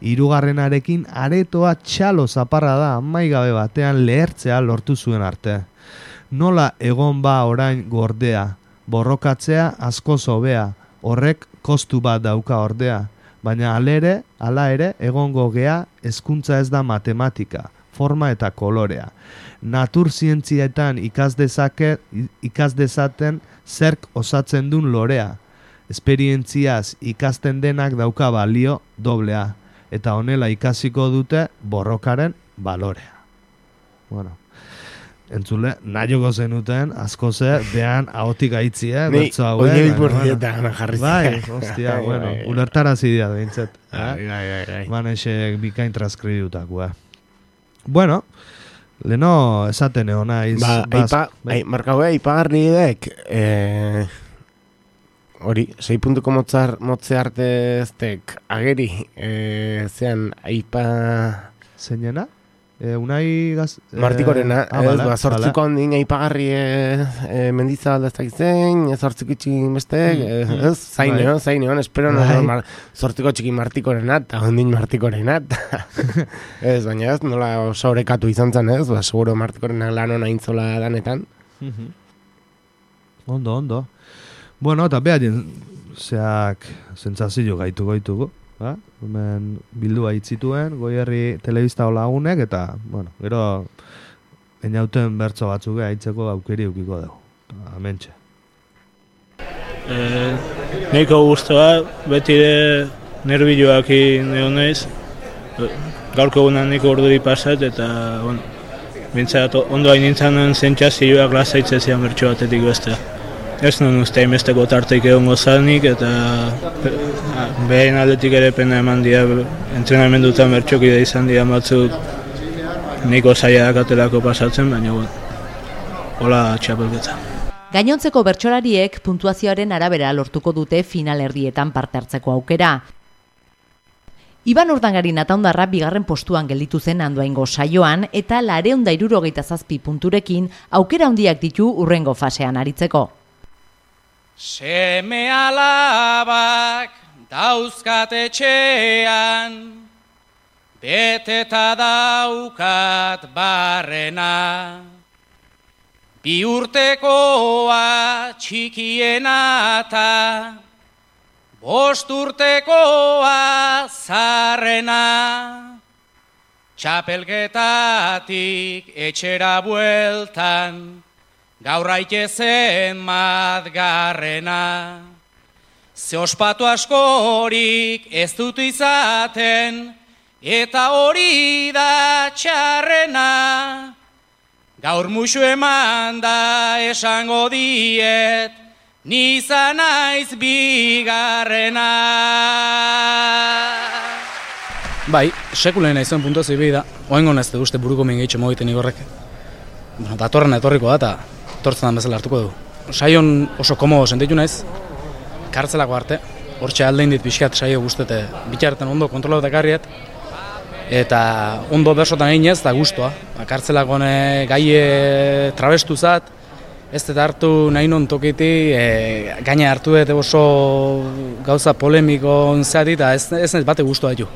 Hirugarrenarekin aretoa txalo zaparra da amaigabe batean lehertzea lortu zuen arte. Nola egon ba orain gordea, borrokatzea askoz hobea, horrek kostu bat dauka ordea, baina hala ere egongo gea hezkuntza ez da matematika, forma eta kolorea. Naturzientzietan ikas dezaten zerk osatzen duen lorea. Esperientziaz ikasten denak dauka balio doblea. Eta honela ikasiko dute borrokaren balorea. Bueno, entzule, nahioko zenuten, asko ze, behan ahotik aitzi, bertzo hau. Oie bilborrietan jarri. Bai, hostia, bueno, ulertarazi dira behintzet. Manexek bikain transkributako, Bueno, leno esaten egon naiz. Markaue, ipagarri edek, hori, 6 puntuko motze arte eztek ageri, zean, aipa... Zeinena? Unai gaz... Martikorena, zortziko handin aipagarri mendizabal ez dakitzen, zortziko txikin bestek, zaineon, espero zortziko txikin Martikorena, eta handin Martikorena, ez, baina ez, nola oso horekatu izan zen, ez, seguro Martikorena lan hona intzola danetan. Ondo. Bueno, eta behaien zeak sentsazio gaitugu. Hemen bildua hitzituen, Goierri telebista lagunek, eta, bueno, gero einauten bertso batzuk haitzeko aukeri eukiko dugu. Amentxe. Neiko guztua, betire nerbiloak neonez, gaurko gunan niko orduri pasat, eta, bueno, bintzat ondo hain nintzanen zentzazioak lasaitzen zian bertso batetik bestea. Ez non uste hainbesteko tarteik egon gozanik, eta behin aldetik ere pena eman dira, entrenamendutan bertxokide izan dira batzuk niko zaila dakatelako pasatzen, baina hola txapelketa. Gainontzeko bertsolariek puntuazioaren arabera lortuko dute finalerdietan parte hartzeko aukera. Iban Urdangarin Ataundarra bigarren postuan gelditu zen Andoaingo saioan eta 467 punturekin aukera handiak ditu hurrengo fasean aritzeko. Seme alabak dauzkat etxean, beteta daukat barrena. 2 urtekoa txikiena eta 5 urtekoa zarrena. Txapelketatik etxera bueltan, gaur aitezen madgarrena. Ze ospatu askorik ez dut izaten, eta hori da txarrena. Gaur musu eman da esango diet, nizan naiz bigarrena. Bai, sekulen naizuen puntuazio bai da, oaingo nazte uste buruko mingeitxe mogiten igorrek. Bueno, datorren etorriko da, eta etortzen dan bezala hartuko du. Saion oso komodo sentitu naiz, kartzelako arte, hortxe aldein dit pixkat saio guztete, bitxarten ondo kontrolatu ekarriet, eta ondo bersotan egin ez, da guztua. Kartzelako gaie trabestu zat, ez eta hartu nahi non tokiti, gaina hartu dut oso gauza polemiko zati, eta ez nahiz bate guztua ditu.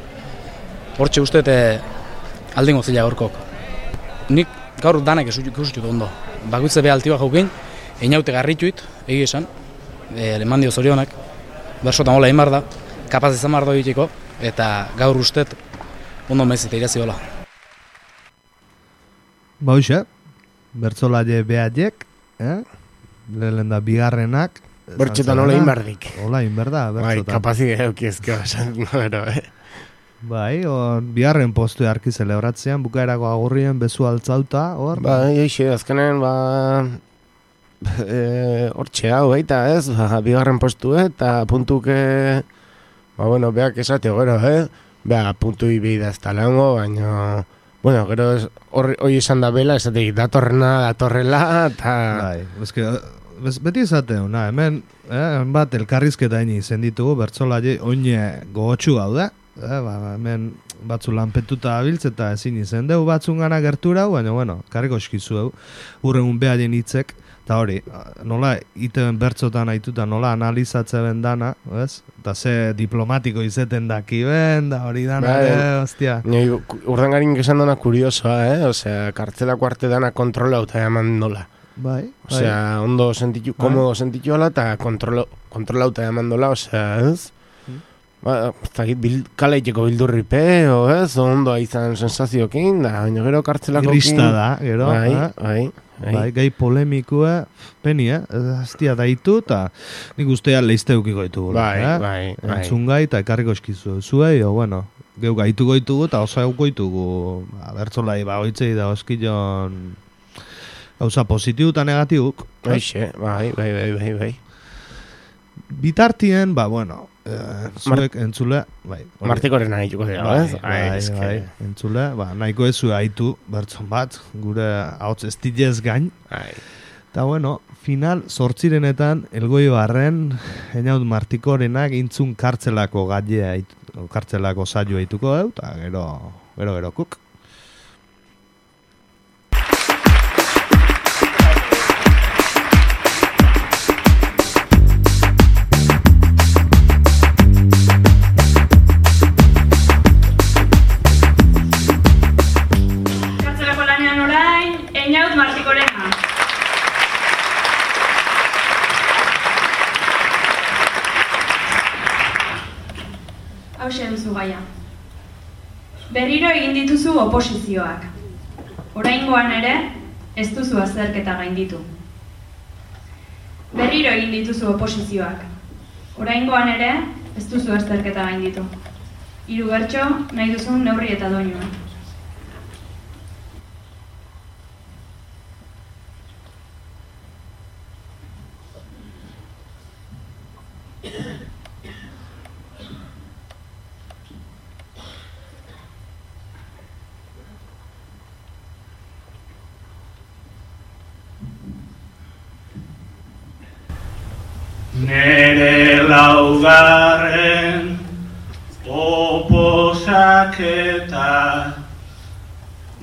Hortxe uste aldingo zila gorkok. Nik gaur danak ikusutut ondo. Bakutze beha altiba jaukin, einaute garrituit, egi esan, leman dio zorionak, bersotan hola egin da, kapaz izan bardo egiteko, eta gaur ustet ondo mezite irazi hola. Bauxe, bertzolaile behaiek, lehen da bigarrenak. Bertxotan hola egin bardik. Hola egin berda, bertxotan. Bai, kapazik eukiezko esan, no, Bai, bigarren postu harki zelebratzean, bukaerako agurrien bezu altzauta, hor? Bai, eixe, azkenen, hortxe hau, baita, ez? Bigarren postu, eta puntuke, bueno, beak esate, gero, Beha, puntu ibi da ez talango, baina, bueno, gero, hori esan da bela, esateik, datorrela, eta... Bai, beti esate, hemen bat elkarrizketa ini izen ditugu, bertzolaile oine gogotxu gaude, hemen batzu lanpetuta abiltz eta ezin izen deu batzun gana gertura, baina, bueno, karriko eskizu deu, urrengun behaien hitzek, eta hori, nola iten bertzotan haituta, nola analizatze ben dana, ez? Eta ze diplomatiko izeten daki ben, da hori dana, hostia. Urdangarin esan dana kuriosoa, osea, kartzelako arte dana kontrolauta eman nola. Bai. Osea, ondo sentitu, komodo sentitu ala, eta kontrolauta eman dola, osea, ez? Kaleiteko bildurripe, ez? Ondo izan sensaziokin, da, baina gero kartzelakokin. Grista da, gero. Bai, gai polemikua, peni, hastia daitu, eta nik ustea leizteukiko ditugu. Bai. Entzun gai, eta ekarriko eskizu. Zuei, bueno, geu gaituko ditugu, eta osa euko ditugu, bertzolai, oitzei da oskillon gauza positibu eta negatibuk. Bai. Bitartien, bueno, zuek entzule, bai. Martikoren nahituko dira, ez? Bai, entzule, nahiko ezu haitu bertzon bat, gure hauts estilez gain. Eta, bueno, final sortzirenetan, elgoi barren, Einaut Martikorenak intzun kartzelako gailea, kartzelako saio haituko dut, eta gero kuk. Einaut Martikorena. Hauxe duzu gaia. Berriro egin dituzu oposizioak. Oraingoan ere, ez duzu azterketa gainditu. Berriro egin dituzu oposizioak. Oraingoan ere, ez duzu azterketa gainditu. 3 bertso nahi duzun neurri eta doinua. Nere laugarren oposaketa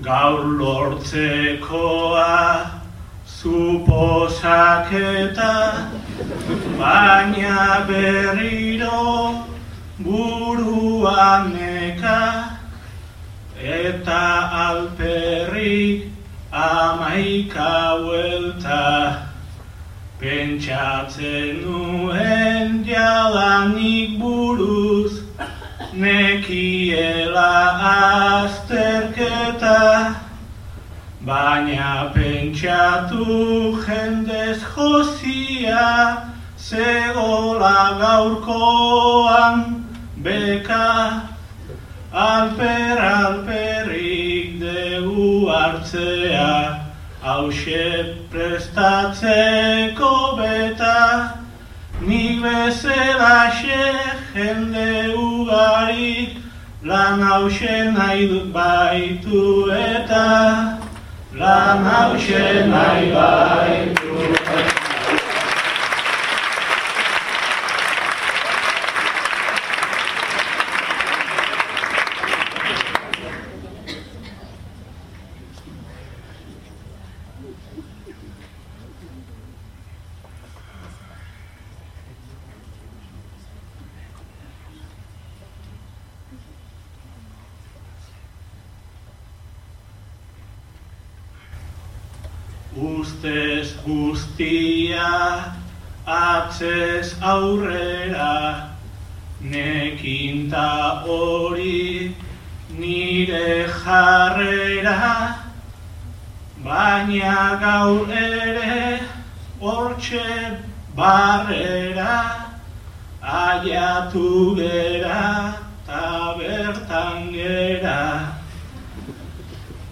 gaur lortzekoa suposaketa, baina berriro buruan neka eta alperrik 11 buelta. Pentsatzen nuen jadanik buruz, nekiela azterketa, baina pentsatu jendez jozia, zegola gaurkoan beka, alperrik dugu hartzea. Hauxe prestatzeko beta, nik bezalaxe jende ugarik, lan hauxe nahi dut baitu eta, lan hauxe nahi baitu eta. Ustez guztia, atzez aurrera, nekinta hori nire jarrera, baina gaur ere hortxe barrera, aiatu gera ta bertan gera.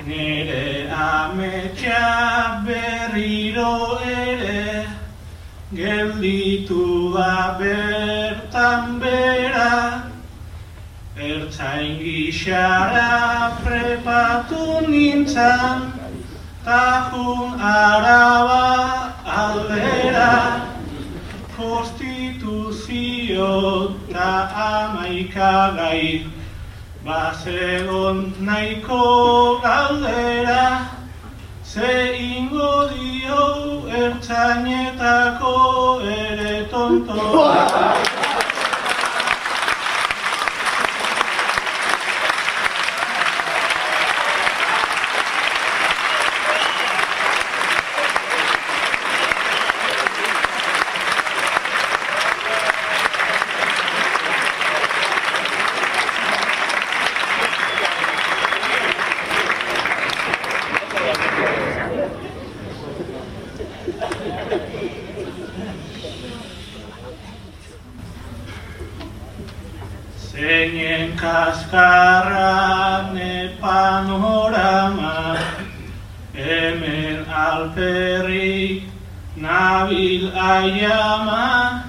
Nere ametsa berriro ere, gelditu da bertan bera, ertzain gixara prepatu nintzan, tajun Araba aldera, konstituzio ta 11 gai, Bazegon nahiko galdera, ze ingo dio ertzainetako ere tontoa. Zeinen kaskarran panorama, hemen alperrik nabil aiama,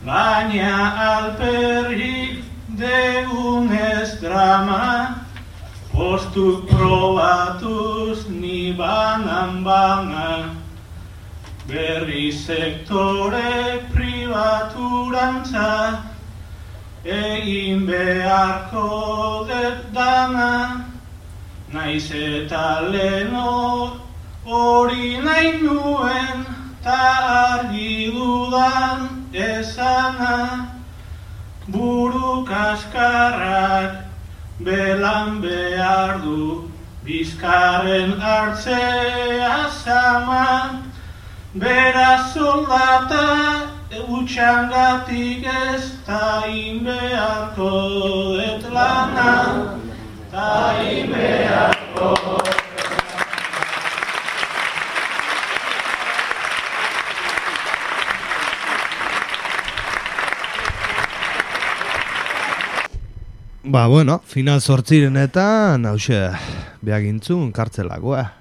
baina alperrik degunez drama, postuk probatuz ni banan, berri sektore pribaturantza, egin beharko dut dana, naiz eta leno hori nahi nuen, ta argi dudan esana, buru kaskarrak belan behar du, bizkarren hartzea zama, beraz soldata utxangatik ez ta inbeharko dut lana, ta inbeharko. Ba, bueno, final zortzirenetan, hause, behagintzun, kartzelakoa.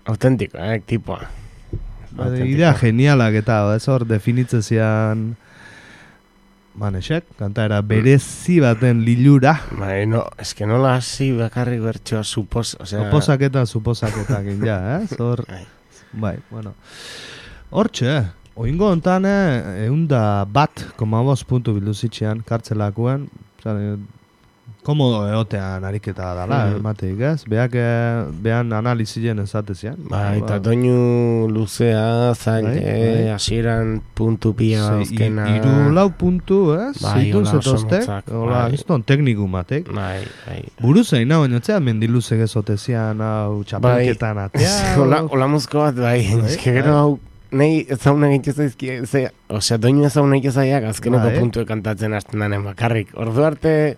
Autentiko, tipoa. Idea genialak eta ez hor definitzezian Manesek, kantaera berezi baten lilura. Bai, no, eske nola hasi bakarrik bertsoa suposaketak ja, hor. Bai, bueno. Hortxe, oingo hontan 101,5 puntu bildu zitxean kartzelakoan, komodo egotean ariketa dala, emateik ez? Behan analizien ezatezian. Bai, eta doinu luzea, zaile, hasieran puntu pia azkena. 3-4 puntu, ez? Zeitun zetoztek, ez tekniku matek. Bai. Buruzein, baina mendiluzek ezotezian, txapelketan atea. Ola muzko bat, bai, eske gero hau, nahi ezauna egitza izki, osea, doinu ezauna egitza zaiak, azkeneko puntu kantatzen hasten danen bakarrik. Ordu arte,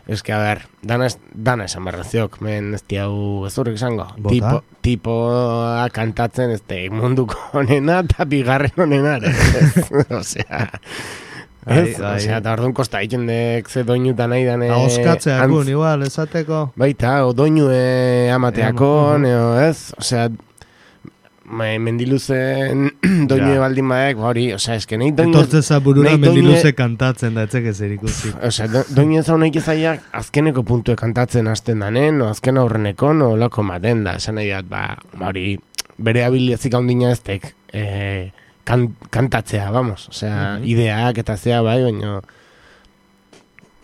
eske, a ber, dana esan barraziok, men ez diau ezurrik izango. Tipoa kantatzen ez munduko honena eta bigarren honena, osea... Osea, eta orduan kosta egiten dek ze doinuta nahi dane... Auskatzeakun, igual, esateko. Baita, o doinue amateakon, ez? Osea, mendiluzen doinue baldin baek, hori, osea, eske nahi doinue... Etortzeza burura mendiluze kantatzen da, etzek ezer ikusi. Osea, doinue zaun nahi ezaiak azkeneko puntue kantatzen hasten danen, o azken aurreneko, no lako maten da, esan nahi dat, hori, bere habiliazik handina eztek, kantatzea, vamos, osea, ideak eta zea, bai, baina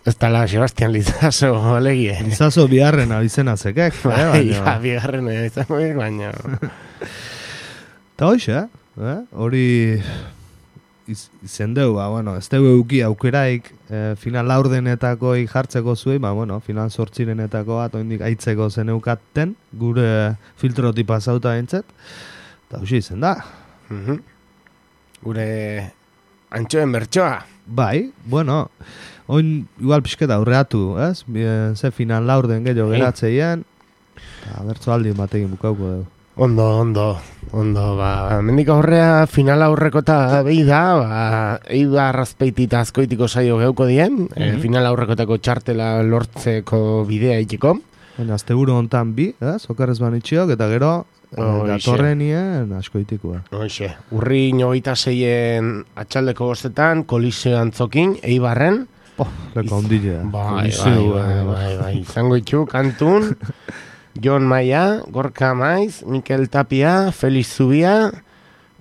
ez tala Sebastian Lizaso alegie. Lizaso biharren abizena zekek, baina. Biharren abizena, baina. Eta hoxe, hori izen deu, bueno, ez deu euki aukeraik final laurdenetako jartzeko zuei, bueno, final zortzirenetako bat oindik aitzeko zeneukaten, gure filtroti pasauta entzet, eta hoxe izen da. Gure antxoen bertsoa. Bai, bueno, oin igual pixketa aurreatu, ez? Ze final laurden gehiago geratzeien, eta bertso aldi batekin bukauko dugu. Ondo, mendik aurrea final aurreko eta behi da, eiba arrazpeitita azkoitiko saio geuko dien, final aurrekotako txartela lortzeko bidea itxiko. Azte buru hontan bi, okarrez banitxiok, eta gero datorrenien askoitikoa. Hoxe, urri 26en atxaldeko bostetan, Koliseo Antzokin, Eibarren. Leko ondilea. Bai, izango itxu, kantun. Jon Maia, Gorka Maiz, Mikel Tapia, Felix Zubia,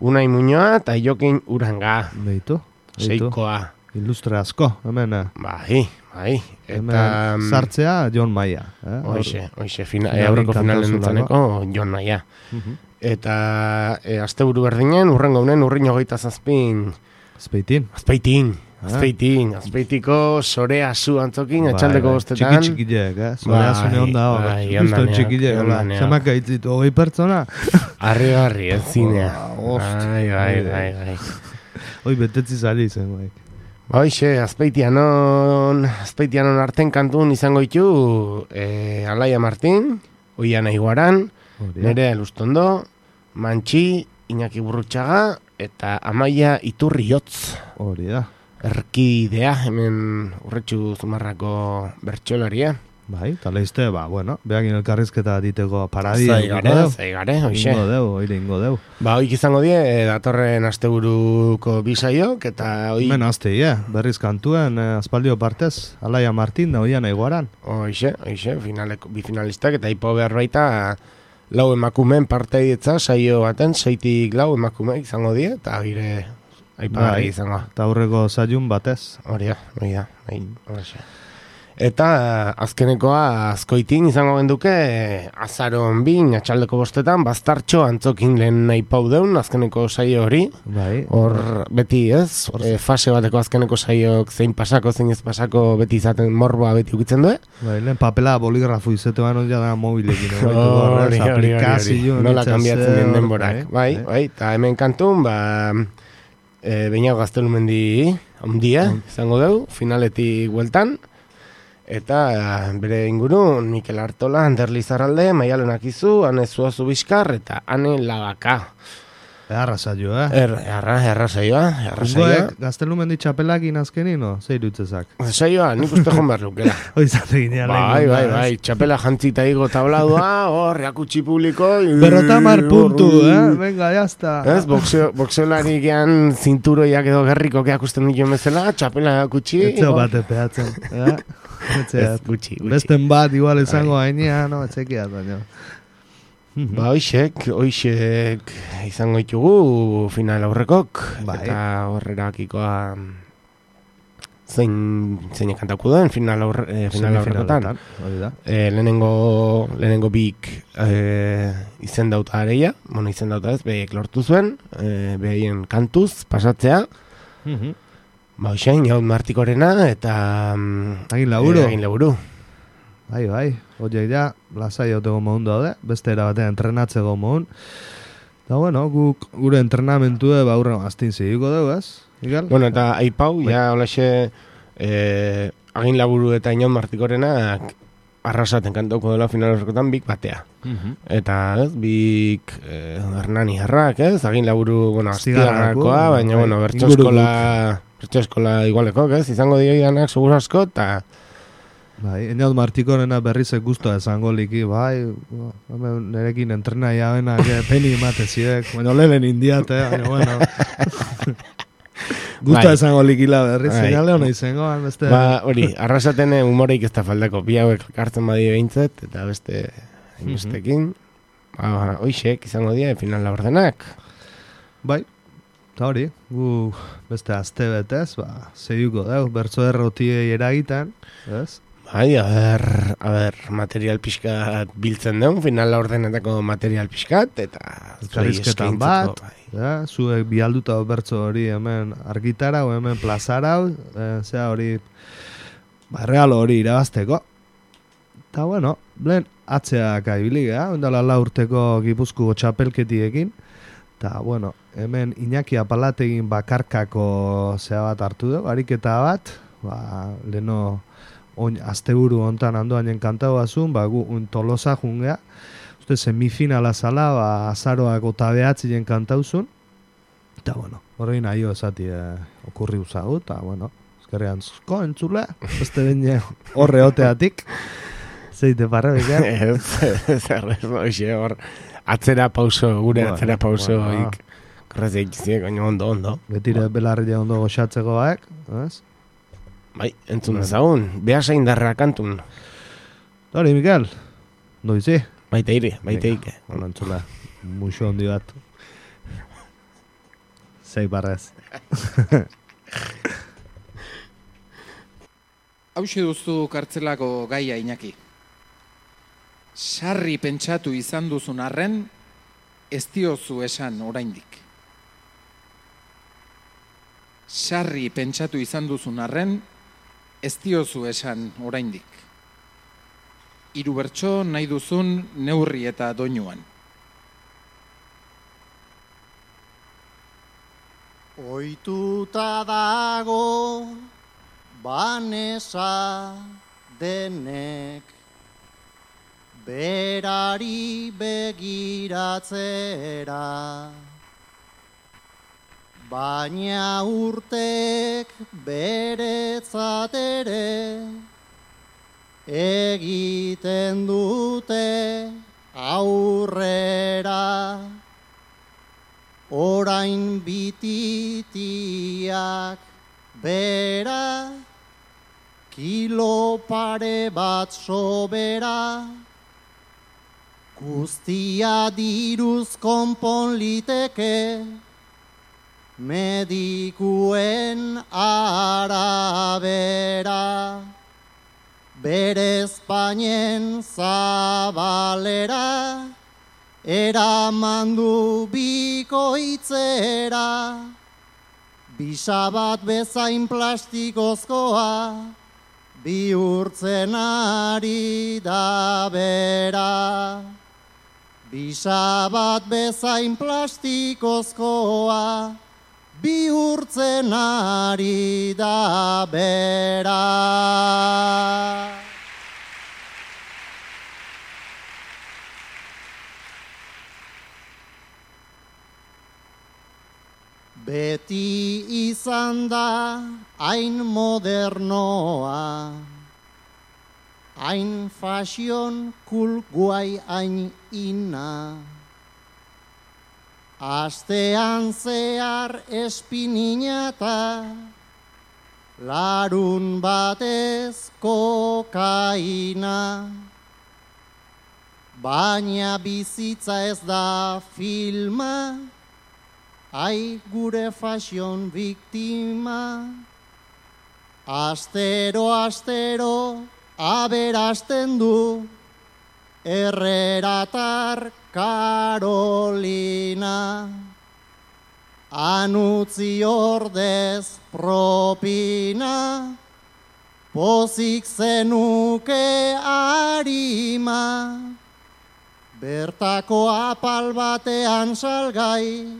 Unai Muñoa eta Jokin Uranga. Beitu. Seikoa. ilustre asko, hemen. Bai. Hemen sartzea Jon Maia. Hoxe, aurreko finalen entzaneko Jon Maia. Eta asteburu berdinen, urrengo unen, urrin 27. Azpeitiko Sorea zu antzokin, atxaldeko bostetan. Txiki-txikileek, Sorea zune onda hor. Justo txikileek, zamak gaitzitu, 20 pertsona. Arri, ez zinea. Bai. Hoi betetzi zari zen, bai. Hoxe, Azpeitianon arten kantun izango ditu Alaia Martin, Oiana Iguaran, Nerea Elustondo, Mantxi, Iñaki Burrutxaga, eta Amaia Iturriotz. Hori da. Erkidea, hemen Urretxu Zumarrako bertxolaria. Bai, taleizte, behakin elkarrizketa diteko paradi. Zaigare, hoxe. Ingo deu. Hoik izango die, datorren asteburuko bisaiok, eta hoi... Hemen berriz kantuen, aspaldio partez, Alaia Martin da Oiana Iguaran. Hoxe, bi finalistak, eta hipo behar baita, lau emakumen parteietza, saio baten, 6 lau emakume izango die, eta gire aipagarri izango. Eta aurreko zaiun batez. Hori da. Eta azkenekoa Azkoitin izango genduke azaron 2 atxaldeko bostetan Bastartxo antzokin lehen nahi pau deun azkeneko saio hori. Hor beti ez, fase bateko azkeneko saioak zein pasako, zein ez pasako beti izaten morboa beti ukitzen du. Lehen papela boligrafu izate bano ja da mobilekin. Hori. Nola kanbiatzen den denborak. Bai, eta hemen kantun, Beñago Gaztelumendi ondia izango deu, finaletik bueltan. Eta bere inguru Mikel Artola, Ander Lizarralde, Maialen Akizu, Ane Zuazu Bizkar eta Ane Labaka. Arrasaioa, Arrasaioa. Gaztelumendi txapelakin azkenin, no? Zeiru itzezak. Saioa, nik uste joan behar lukela. Oizate ginean. Bai, txapela jantzita higo tabladoa, reakutsi publiko. 50 puntu, venga, jazta. Ez, boxeolari gean zinturoiak edo gerriko keakusten dituen bezala, txapela kutsi. Etzeo bate peatzen, besten bat igual izango hainean, no, etxekiat, baina. Hoixek izango ditugu final aurrekok, eta horrerakikoa zein kantauko duen final aurrekotan. Lehenengo bik izendauta areia, izendauta ez, behiek lortu zuen, behien kantuz pasatzea. Hoixen, Jaun Martikorena eta Agin Laburu. Bai, horiek ja, lasai hauteko mohun daude, beste erabatean entrenatzeko mohun. Eta gure entrenamentu aurren aztin zigiko dugu, ez? Bueno, eta aipau, ja, holaxe, Agin Laburu eta Jaun Martikorenak arrasaten kantauko dela final horrekotan bik batea. Eta, ez, bik Hernani Jarrak, ez? Agin Laburu, astigarrakoa, baina, bertso eskola igualeko, ez? Izango dioidanak, segur asko, eta... Enaud Martikorena berrizek guztua esango liki, nerekin entrena jabenak peni imateziek, lehen indiate, guztua esango likila berriz, zinale hona izango, beste... Hori, arrasaten humoreik ez da faldako, bi hauek hartzen badi behintzet, eta bestekin, hoixek izango dira, final labordenak. Bai, eta hori, beste azte betez, zeiuko deu, bertso errotiei eragiten, ez? Bai, a ber, material pixkat biltzen deun, final laurdenetako material pixkat, eta... Zarizketan bat, zuek bialduta bertso hori hemen argitara, hemen plazara, zea hori, real hori irabazteko. Eta lehen atzeak aibilik, ondala urteko Gipuzkoako txapelketiekin, eta hemen Iñaki Apalategin bakarkako zea bat hartu dugu, ariketa bat, leheno... Asteburu hontan handoanen kantau azun, Tolosa jungea, semifinala zala, azaroak otabeatzien kantauzun, eta horrein nahi esati okurri uzagu, eta ezkerrean zuzko entzule, beste bine horre oteatik, zeite parra bekean. Hor, atzera pauso, gure atzera pauso, korrez eikiziek, ondo. Betire belarria ondo goxatzeko baek, ez? Bai, entzun dezagun, behasa indarra kantun. Hori, Mikel, noizi? Baite ike. Entzula, muxo hondi bat. Zei barrez. hauxe duzu kartzelako gaia, Iñaki. Sarri pentsatu izan duzun arren, ez diozu esan oraindik. Sarri pentsatu izan duzun arren, ez diozu esan oraindik. 3 bertso nahi duzun neurri eta doinuan. Ohituta dago Banesa denek berari begiratzera, baina urtek beretzat ere egiten dute aurrera. Orain bititiak bera, kilo pare bat sobera, guztia diruz konpon liteke, medikuen arabera. Bere Espainen zabalera, eraman du bikoitzera, bisa bat bezain plastikozkoa, bihurtzen ari da bera. Bisa bat bezain plastikozkoa, bihurtzen ari da bera. Beti izan da hain modernoa, hain fashion cool guai hain ina. Astean zehar espininata, larun batez kokaina. Baina bizitza ez da filma, ai gure fashion biktima. Astero, astero, aberasten du Herreratar Karolina. Anutzi ordez propina, pozik zenuke arima. Bertako apal batean salgai,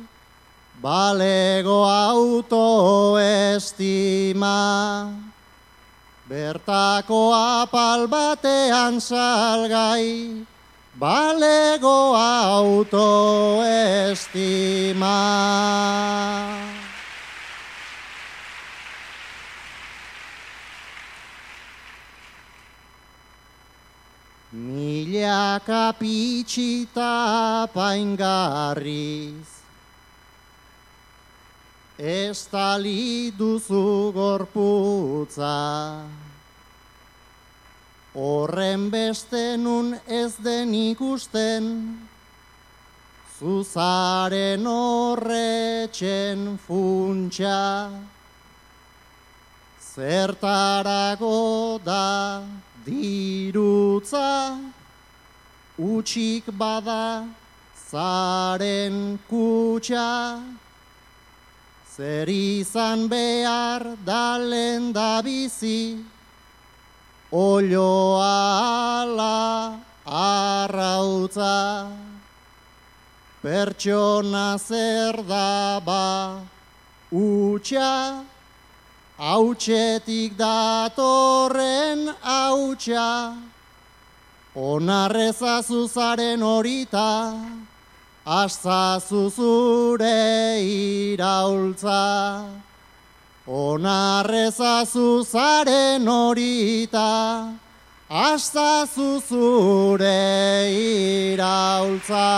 balego autoestima. Bertako apal batean salgai, balego autoestima. Milaka pitxita apaingarriz, estali duzu gorputza. Horren beste nun ez den ikusten, zuzaren horretxen funtsa. Zertarago da dirutza, utxik bada zaren kutxa. Zer izan behar da lenda bizi, olioa ala arrautza. Pertsona zer da ba utxa, hautsetik datorren hautsa. Onarrezazu zaren horita, azazu zure iraultza. Onarrezazu zaren horita, azazu zure iraultza.